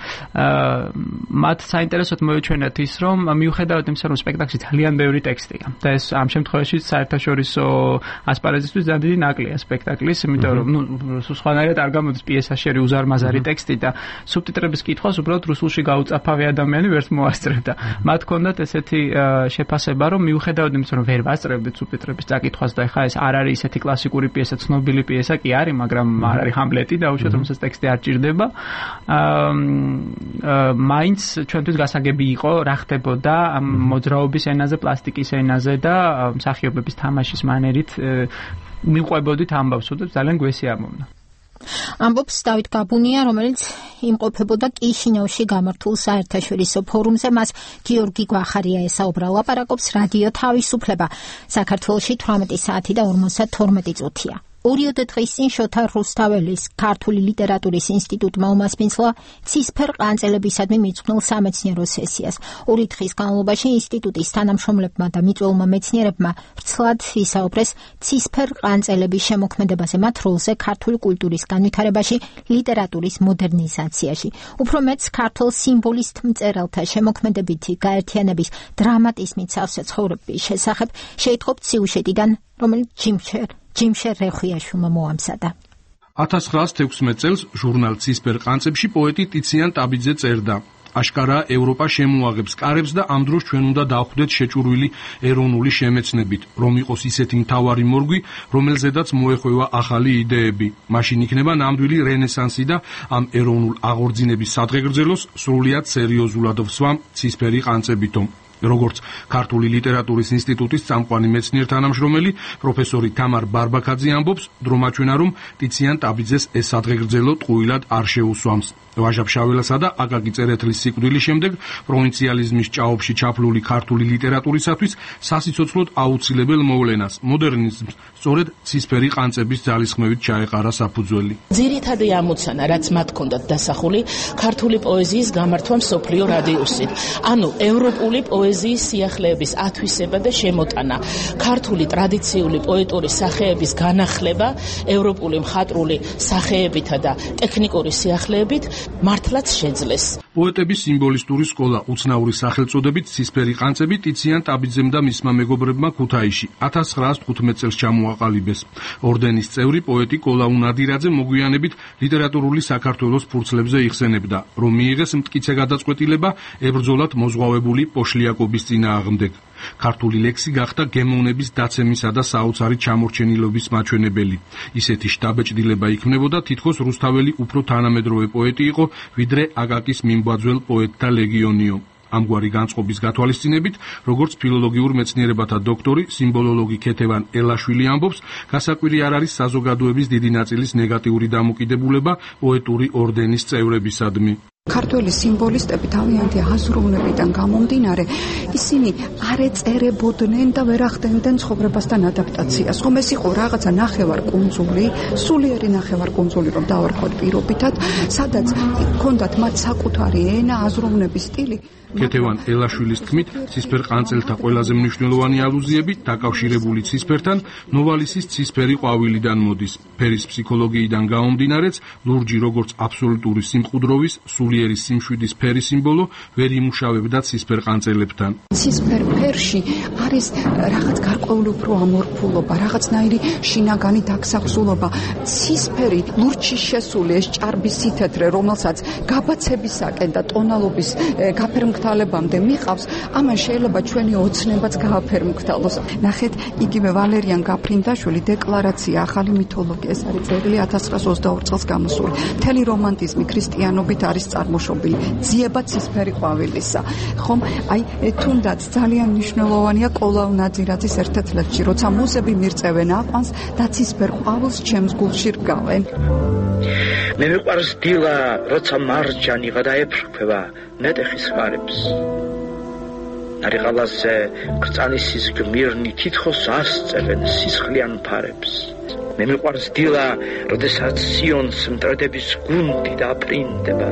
მათ საინტერესოდ მოეჩვენათ ის, რომ მიუხედავად იმისა, რომ სპექტაკლში ძალიან ბევრი ტექსტია და ეს ამ შემთხვევაში საერთაშორისო ასპარეზისთვის ძალიან დიდი ნაკლია სპექტაკლის, იმიტომ რომ სხვანაირად არ გამოდის პიესაში არის უზარმაზარი ტექსტი და სუბტიტრების კითხვას უბრალოდ რუსულში გაუწაფავი ადამიანი ვერც მოასწრებდა. მათ ჰქონდათ ესეთი შეფასება, რომ მიუხედავად იმისა, რომ ვერ ვასწრებდით სუბტიტრების წაკითხვას და ეხა ეს არ არის ისეთი კლასიკური პიესა, ცნობილი პიესა კი არის, მაგრამ არ არის ჰამლეტი და უშუალოდ რომელსაც ტექსტი არ ჭირდება. მაინც ჩვენთვის გასაგები იყო რა ხდებოდა მოძრაობის ენაზე, პლასტიკის ენაზე და მსახიობების თამაშის მანერით მიყვებოდით ამბავს, უდებს ძალიან გვესიამოვნა. ამბობს დავით გაბუნია, რომელიც იმყოფებოდა კიშინევში გამართულ საერთაშორისო ფორუმზე, მას გიორგი გვახარია ესაუბრა. ლაპარაკობს რადიო თავისუფლება. საქართველოში 18 საათი და 52 წუთია. 2 დღის წინ შოთა რუსთაველის ქართული ლიტერატურის ინსტიტუტმა უმასპინძლა ცისფერ ყანწელებისადმი მიძღვნილ სამეცნიერო სესიას. 2 დღის განმავლობაში ინსტიტუტის თანამშრომლებმა და მიწვეულმა მეცნიერებმა ვრცლად ისაუბრეს ცისფერ ყანწელების შემოქმედებაზე, მათ როლზე ქართული კულტურის განვითარებაში, ლიტერატურის მოდერნიზაციაში. უფრო მეც ქართულ სიმბოლისტ მწერალთა შემოქმედებითი გაერთიანების დრამატიზმით სავსე ცხოვრების შესახებ შეიტყობთ სიუჟეტიდან, რომელიც ჯიმშერ რეხვიაშვილმა მოამზადა. 1916 წელს ჟურნალ ცისფერ ყანწებში პოეტი ტიციან ტაბიძე წერდა: აშკარაა, ევროპა შემოაღებს კარებს და ამ დროს ჩვენ უნდა დავხვდეთ შეჭურვილი ეროვნული შემეცნებით, რომ იყოს ისეთი მთავარი მორგვი, რომელზედაც მოეხვევა ახალი იდეები. მაშინ იქნება ნამდვილი რენესანსი და ამ ეროვნულ აღორძინების სადღეგრძელოს სრულიად სერიოზულად ვსვამ ცისფერი ყანწებითო. როგორც ქართული ლიტერატურის ინსტიტუტის წამყვანი მეცნიერ-თანამშრომელი პროფესორი თამარ ბარბაქაძე ამბობს, დრომაჩვენა რომ ტიციან ტაბიძეს ეს სადღეგრძელო ტყუილად არ შეუსვამს. ვაჟა-ფშაველასა და აკაკი წერეთლის სიკვდილის შემდეგ პროვინციალიზმის ჭაობში ჩაფლული ქართული ლიტერატურისათვის სასიცოცხლოდ აუცილებელ მოვლენას მოდერნიზმს სწორედ ცისფერი ყანწების ძალისხმევით ჩაეყარა საფუძველი. ძირითადი ამოცანა, რაც მათ ჰქონდათ დასახული, ქართული პოეზიის გამართვა მსოფლიო რადიუსით, ანუ ევროპული პოეზიის სიახლეების ათვისება და შემოტანა, ქართული ტრადიციული პოეტური სახეების განახლება ევროპული მხატვრული სახეებითა და ტექნიკური სიახლეებით მართლაც შეძლეს. პოეტების სიმბოლისტური სკოლა უცნაური სახელწოდებით ცისფერი ყანწები ტიციან ტაბიძემ და მისმა მეგობრებმა ქუთაისში 1915 წელს ჩამოაყალიბეს. ორდენის წევრი პოეტი კოლაუ ნადირაძე მოგვიანებით ლიტერატურული საქართველოს ფურცლებზე იხსენებდა, რომ მიიღეს მტკიცე გადაწყვეტილება ებრძოლათ მოზღვავებული პოშლიაკობის წინააღმდეგ. ქართული ლექსი გახდა გემოვნების დაცემისა და საოცარი ჩამორჩენილობის მაჩვენებელი. ისეთი შთაბეჭდილება იქმნებოდა თითქოს რუსთაველი უფრო თანამედროვე პოეტი იყო, ვიდრე აკაკის მიმბაძველ პოეტთა ლეგიონიო. ამგვარი განწყობის გათვალისწინებით, როგორც ფილოლოგიურ მეცნიერებათა დოქტორი, სიმბოლოლოგი ქეთევან ელაშვილი ამბობს, გასაკვირი არ არის საზოგადოების დიდი ნაწილის ნეგატიური დამოკიდებულება პოეტური ორდენის წევრებისადმი. ქართველი სიმბოლისტები თავიანთი აზროვნებიდან გამომდინარე, ისინი არ ეწერებოდნენ და ვერ ახდენდნენ ცხოვრებასთან ადაპტაციას. ხომ ეს იყო რაღაცა ნახევარკუნძული, სულიერი ნახევარკუნძული, რომ დავარქვათ პირობითად, სადაც ჰქონდათ მათ საკუთარი ენა, აზროვნების სტილი. ქეთევან ელაშვილის თქმით, ცისფერ ყანწელთა ყველაზე მნიშვნელოვანი ალუზიები დაკავშირებული ცისფერთან ნოვალისის ცისფერი ყვავილიდან მოდის. ფერის ფსიქოლოგიიდან გამომდინარეც, ლურჯი როგორც აბსოლუტური სიმყუდროვის, სულიერი სიმშვიდის ფერი სიმბოლო ვერ იმუშავებდა ცისფერ ყანწელებთან. ცისფერ ფერში არის რაღაც გარკვეული უფრო ამორფულობა, რაღაცნაირი შინაგანი დაგსახსულობა. ცისფერი ლურჯში შესული ეს ჭარბი სითეთრე, რომელსაც გაბაცებისაკენ და ტონალობის გაფერმგთალებამდე მიყავს, ამან შეიძლება ჩვენი ოცნებაც გააფერმგთალოს. ნახეთ, იგივე ვალერიან გაფრინდაშვილი დეკლარაცია ახალი მითოლოგია, ეს არის ძეგლი 1922 წელს გამოსული. მთელი რომანტიზმი ქრისტიანობით არის წარმოშობილი ძიება ცისფერი ყვავილისა. ხომ, აი თუნდაც ძალიან მნიშვნელოვანია კოლაუ ნადირაძის ერთ-ერთ ლექსში, როცა მუზები მირწევენ აყვანს და ცისფერ ყვავილს ჩემს გულში რგავენ. მე მიყვარს დილა, როცა მარჯანი გადაეფრქვევა ნეტეხის ხარებს. ნარიყალაზე კრწანისის გმირნი თითქოს ასწევენ სისხლიან ფარებს. მე მიყვარს დილა, როდესაც სიონს მტრედების გუნდი დაპრინდება,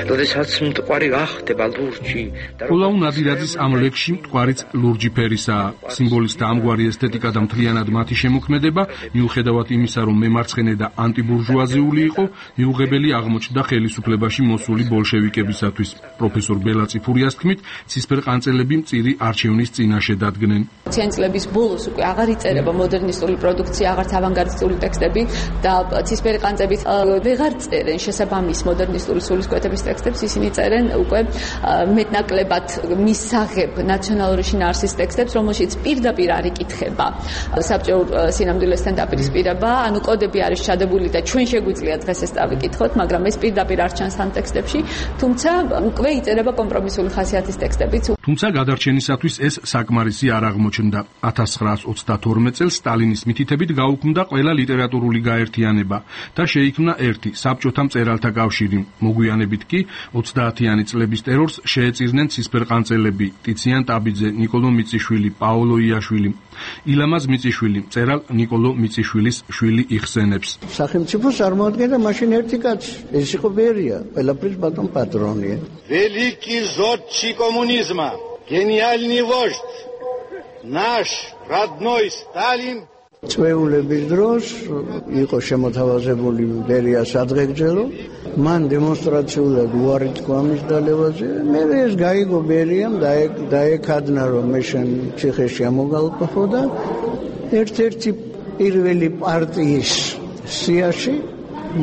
როდესაც მტკვარი გახდება ლურჯი. კოლაუ ნადირაძის ამ ლექსში მტკვარიც ლურჯი ფერისაა. სიმბოლისტთა ამგვარი ესთეტიკა და მთლიანად მათი შემოქმედება, მიუხედავად იმისა, რომ მემარცხენე და ანტიბურჟუაზიული იყო, მიუღებელი აღმოჩნდა ხელისუფლებაში მოსული ბოლშევიკებისათვის. პროფესორ ბელა წიფურიას თქმით, ცისფერ ყანწელები მწირი არჩევნის წინაშე დადგნენ. წელების ბოლოს უკვე აღარ იწერება მოდერნისტული პროდუქცია, აღარც ავანგარდისტული ტექსტები და ცისფერი ყანწებით ვეღარ წერენ შესაბამის მოდერნისტული სულისკვეთების ტექსტებს, ისინი წერენ უკვე მეტნაკლებად მისაღებ ნაციონალური შინაარსის ტექსტებს, რომელშიც პირდაპირ არ იკითხება საბჭოურ სინამდვილესთან დაპირისპირება, ანუ კოდები არის ჩადებული და ჩვენ შეგვიძლია დღეს ეს დავიკითხოთ, მაგრამ ეს პირდაპირ არ ჩანს ამ ტექსტებში, თუმცა უკვე იწერება კომპრომისული ხასიათის ტექსტებიც. თუმცა გადარჩენისათვის ეს საკმარისი არ აღმოჩნდა. 1932 წელს სტალინის მითითებით გაუქმდა ყველა ლიტერატურული გაერთიანება და შეიქმნა ერთი საბჭოთა მწერალთა კავშირი. მოგვიანებით კი 30-იანი წლების ტერორს შეეწირნენ ცისფერ ყანწელები ტიციან ტაბიძე, ნიკოლო მიწიშვილი, პაოლო იაშვილი. ილამაზ მიწიშვილი მწერალ ნიკოლო მიწიშვილის შვილი იხსენებს. სახელმწიფოს წარმოადგენდა მაშინ ერთი კაცი, ეს იყო ბერია, ყველაფრის ბატონ პატრონია. Великий зодчий коммунизма, гениальный вождь, наш родной Сталин. წვეულების დროს იყო შემოთავაზებული ბერიას ადღეგრძელო, მან დემონსტრაციულად უარი თქვა მის დალევაზე. მე ეს გაიგო ბერიამ დაეკადნა, რომ მე შენ ციხეში ამოგალყო და ერთ-ერთი პირველი პარტიის სიაში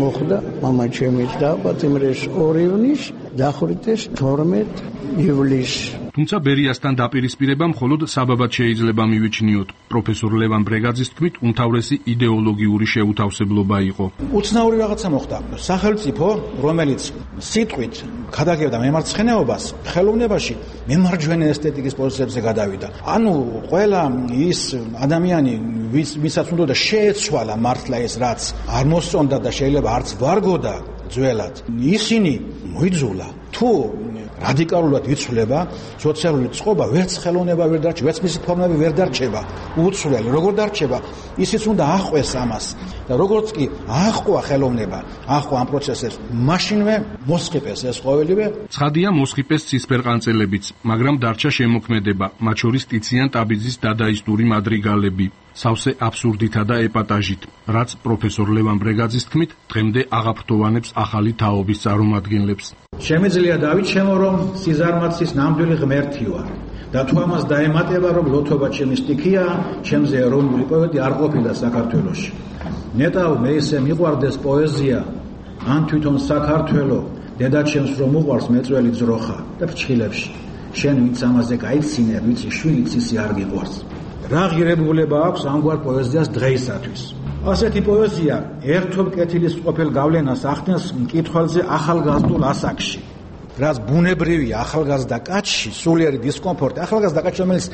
მოხდა მამაჩემის დაბადების 2 ივნისს დახვრიტეს 12 ივლისს. თუმცა ბერიასთან დაპირისპირება მხოლოდ საბაბად შეიძლება მივიჩნიოთ. პროფესორ ლევან ბრეგაძის თქმით, უმთავრესი იდეოლოგიური შეუთავსებლობა იყო. უცნაური რაღაცა მოხდა. სახელმწიფო, რომელიც სიტყვით გადაგებდა მემარცხენეობას, ხელოვნებაში მემარჯვენე ესთეტიკის პოზიციებზე გადავიდა. ანუ ყველა ის ადამიანი, ვისაც უნდა შეეცვალა მართლა ეს რაც არ მოსწონდა და შეიძლება არც ვარგოდა ძველად, ისინი მოიძულა. თუ რადიკალურად იცვლება სოციალური წყობა, ვერც ხელოვნება ვერ დარჩება, ვერც მისი ფორმები ვერ დარჩება. უცვლელი როგორ დარჩება, ისიც უნდა ახვეს ამას. და როგორც კი აახყვა ხელოვნება, აახყვა ამ პროცესებს, მაშინვე მოსყიპეს ეს ყოველივე. ცხადია მოსყიპეს ცისფერყანწელებიც, მაგრამ დარჩა შემოქმედება, მათ შორის ტიციან ტაბიძის დადაისტური მადრიგალები, სავსე აბსურდითა და ეპატაჟით, რაც პროფესორ ლევან ბრეგაძის თქმით, დღემდე აღაფრთოვანებს ახალი თაობის წარმომადგენლებს. შემიძლია დავიჩემო, რომ სიზარმაცის ნამდვილი ღმერთი ვარ და თუ ამას დაემატება, რომ ლოთობა ჩემი სტიქია, ჩემზე ეროვნული პოეტი არ ყოფილა საქართველოში. ნეტავ მე ისე მიყვარდეს პოეზია, ან თვითონ საქართველო, დედაჩემს რომ უყვარს მეწველი ძროხა და ფრჩხილებში. შენ ვინც ამაზე გაიცინე, ვიცი შვილიც ისე არ გიყვარს. რა ღირებულება აქვს ამგვარ პოეზიას დღეისათვის. ასეთი პოეზია ერთობ კეთილის ყოფილ გავლენას ახდენს მკითხველზე ახალგაზრდულ ასაკში. რაც ბუნებრივი ახალგაზრდა კაცში სულიერი დისკომფორტი, ახალგაზრდა კაცი, რომელიც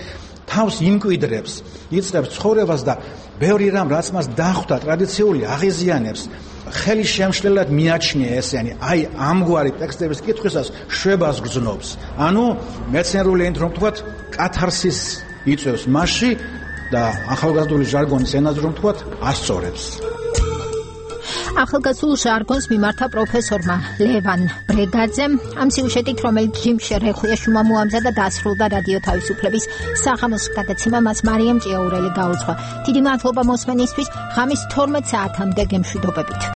თავს იმკვიდრებს, იწყებს ცხოვრებას და ბევრი რამ, რაც მას დახვდა ტრადიციული აღიზიანებს, ხელი შემშლელად მიაჩნია ესენი, აი ამგვარი ტექსტების კითხვისას შვებას გრძნობს. ანუ მეცნიერული ენით რომ ვთქვათ, კათარსის იწევს მასში და ახალგაზრდული ჟარგონის ენაზე რომ ვთქვათ, ასწორებს. ახალგაზრდულ ჟარგონს მიმართა პროფესორმა ლევან ბრეგაძემ ამ სიუჟეტით, რომელიც ჯიმშე რეხუიაშვილმა მოამზადა და დასრულდა რადიო თავისუფლების საღამოს გადაცემა, მას მარიამ ჭიაურელი გაუძღვა. დიდი მადლობა მოსმენისთვის, ღამის 12 საათამდე გემშვიდობებით.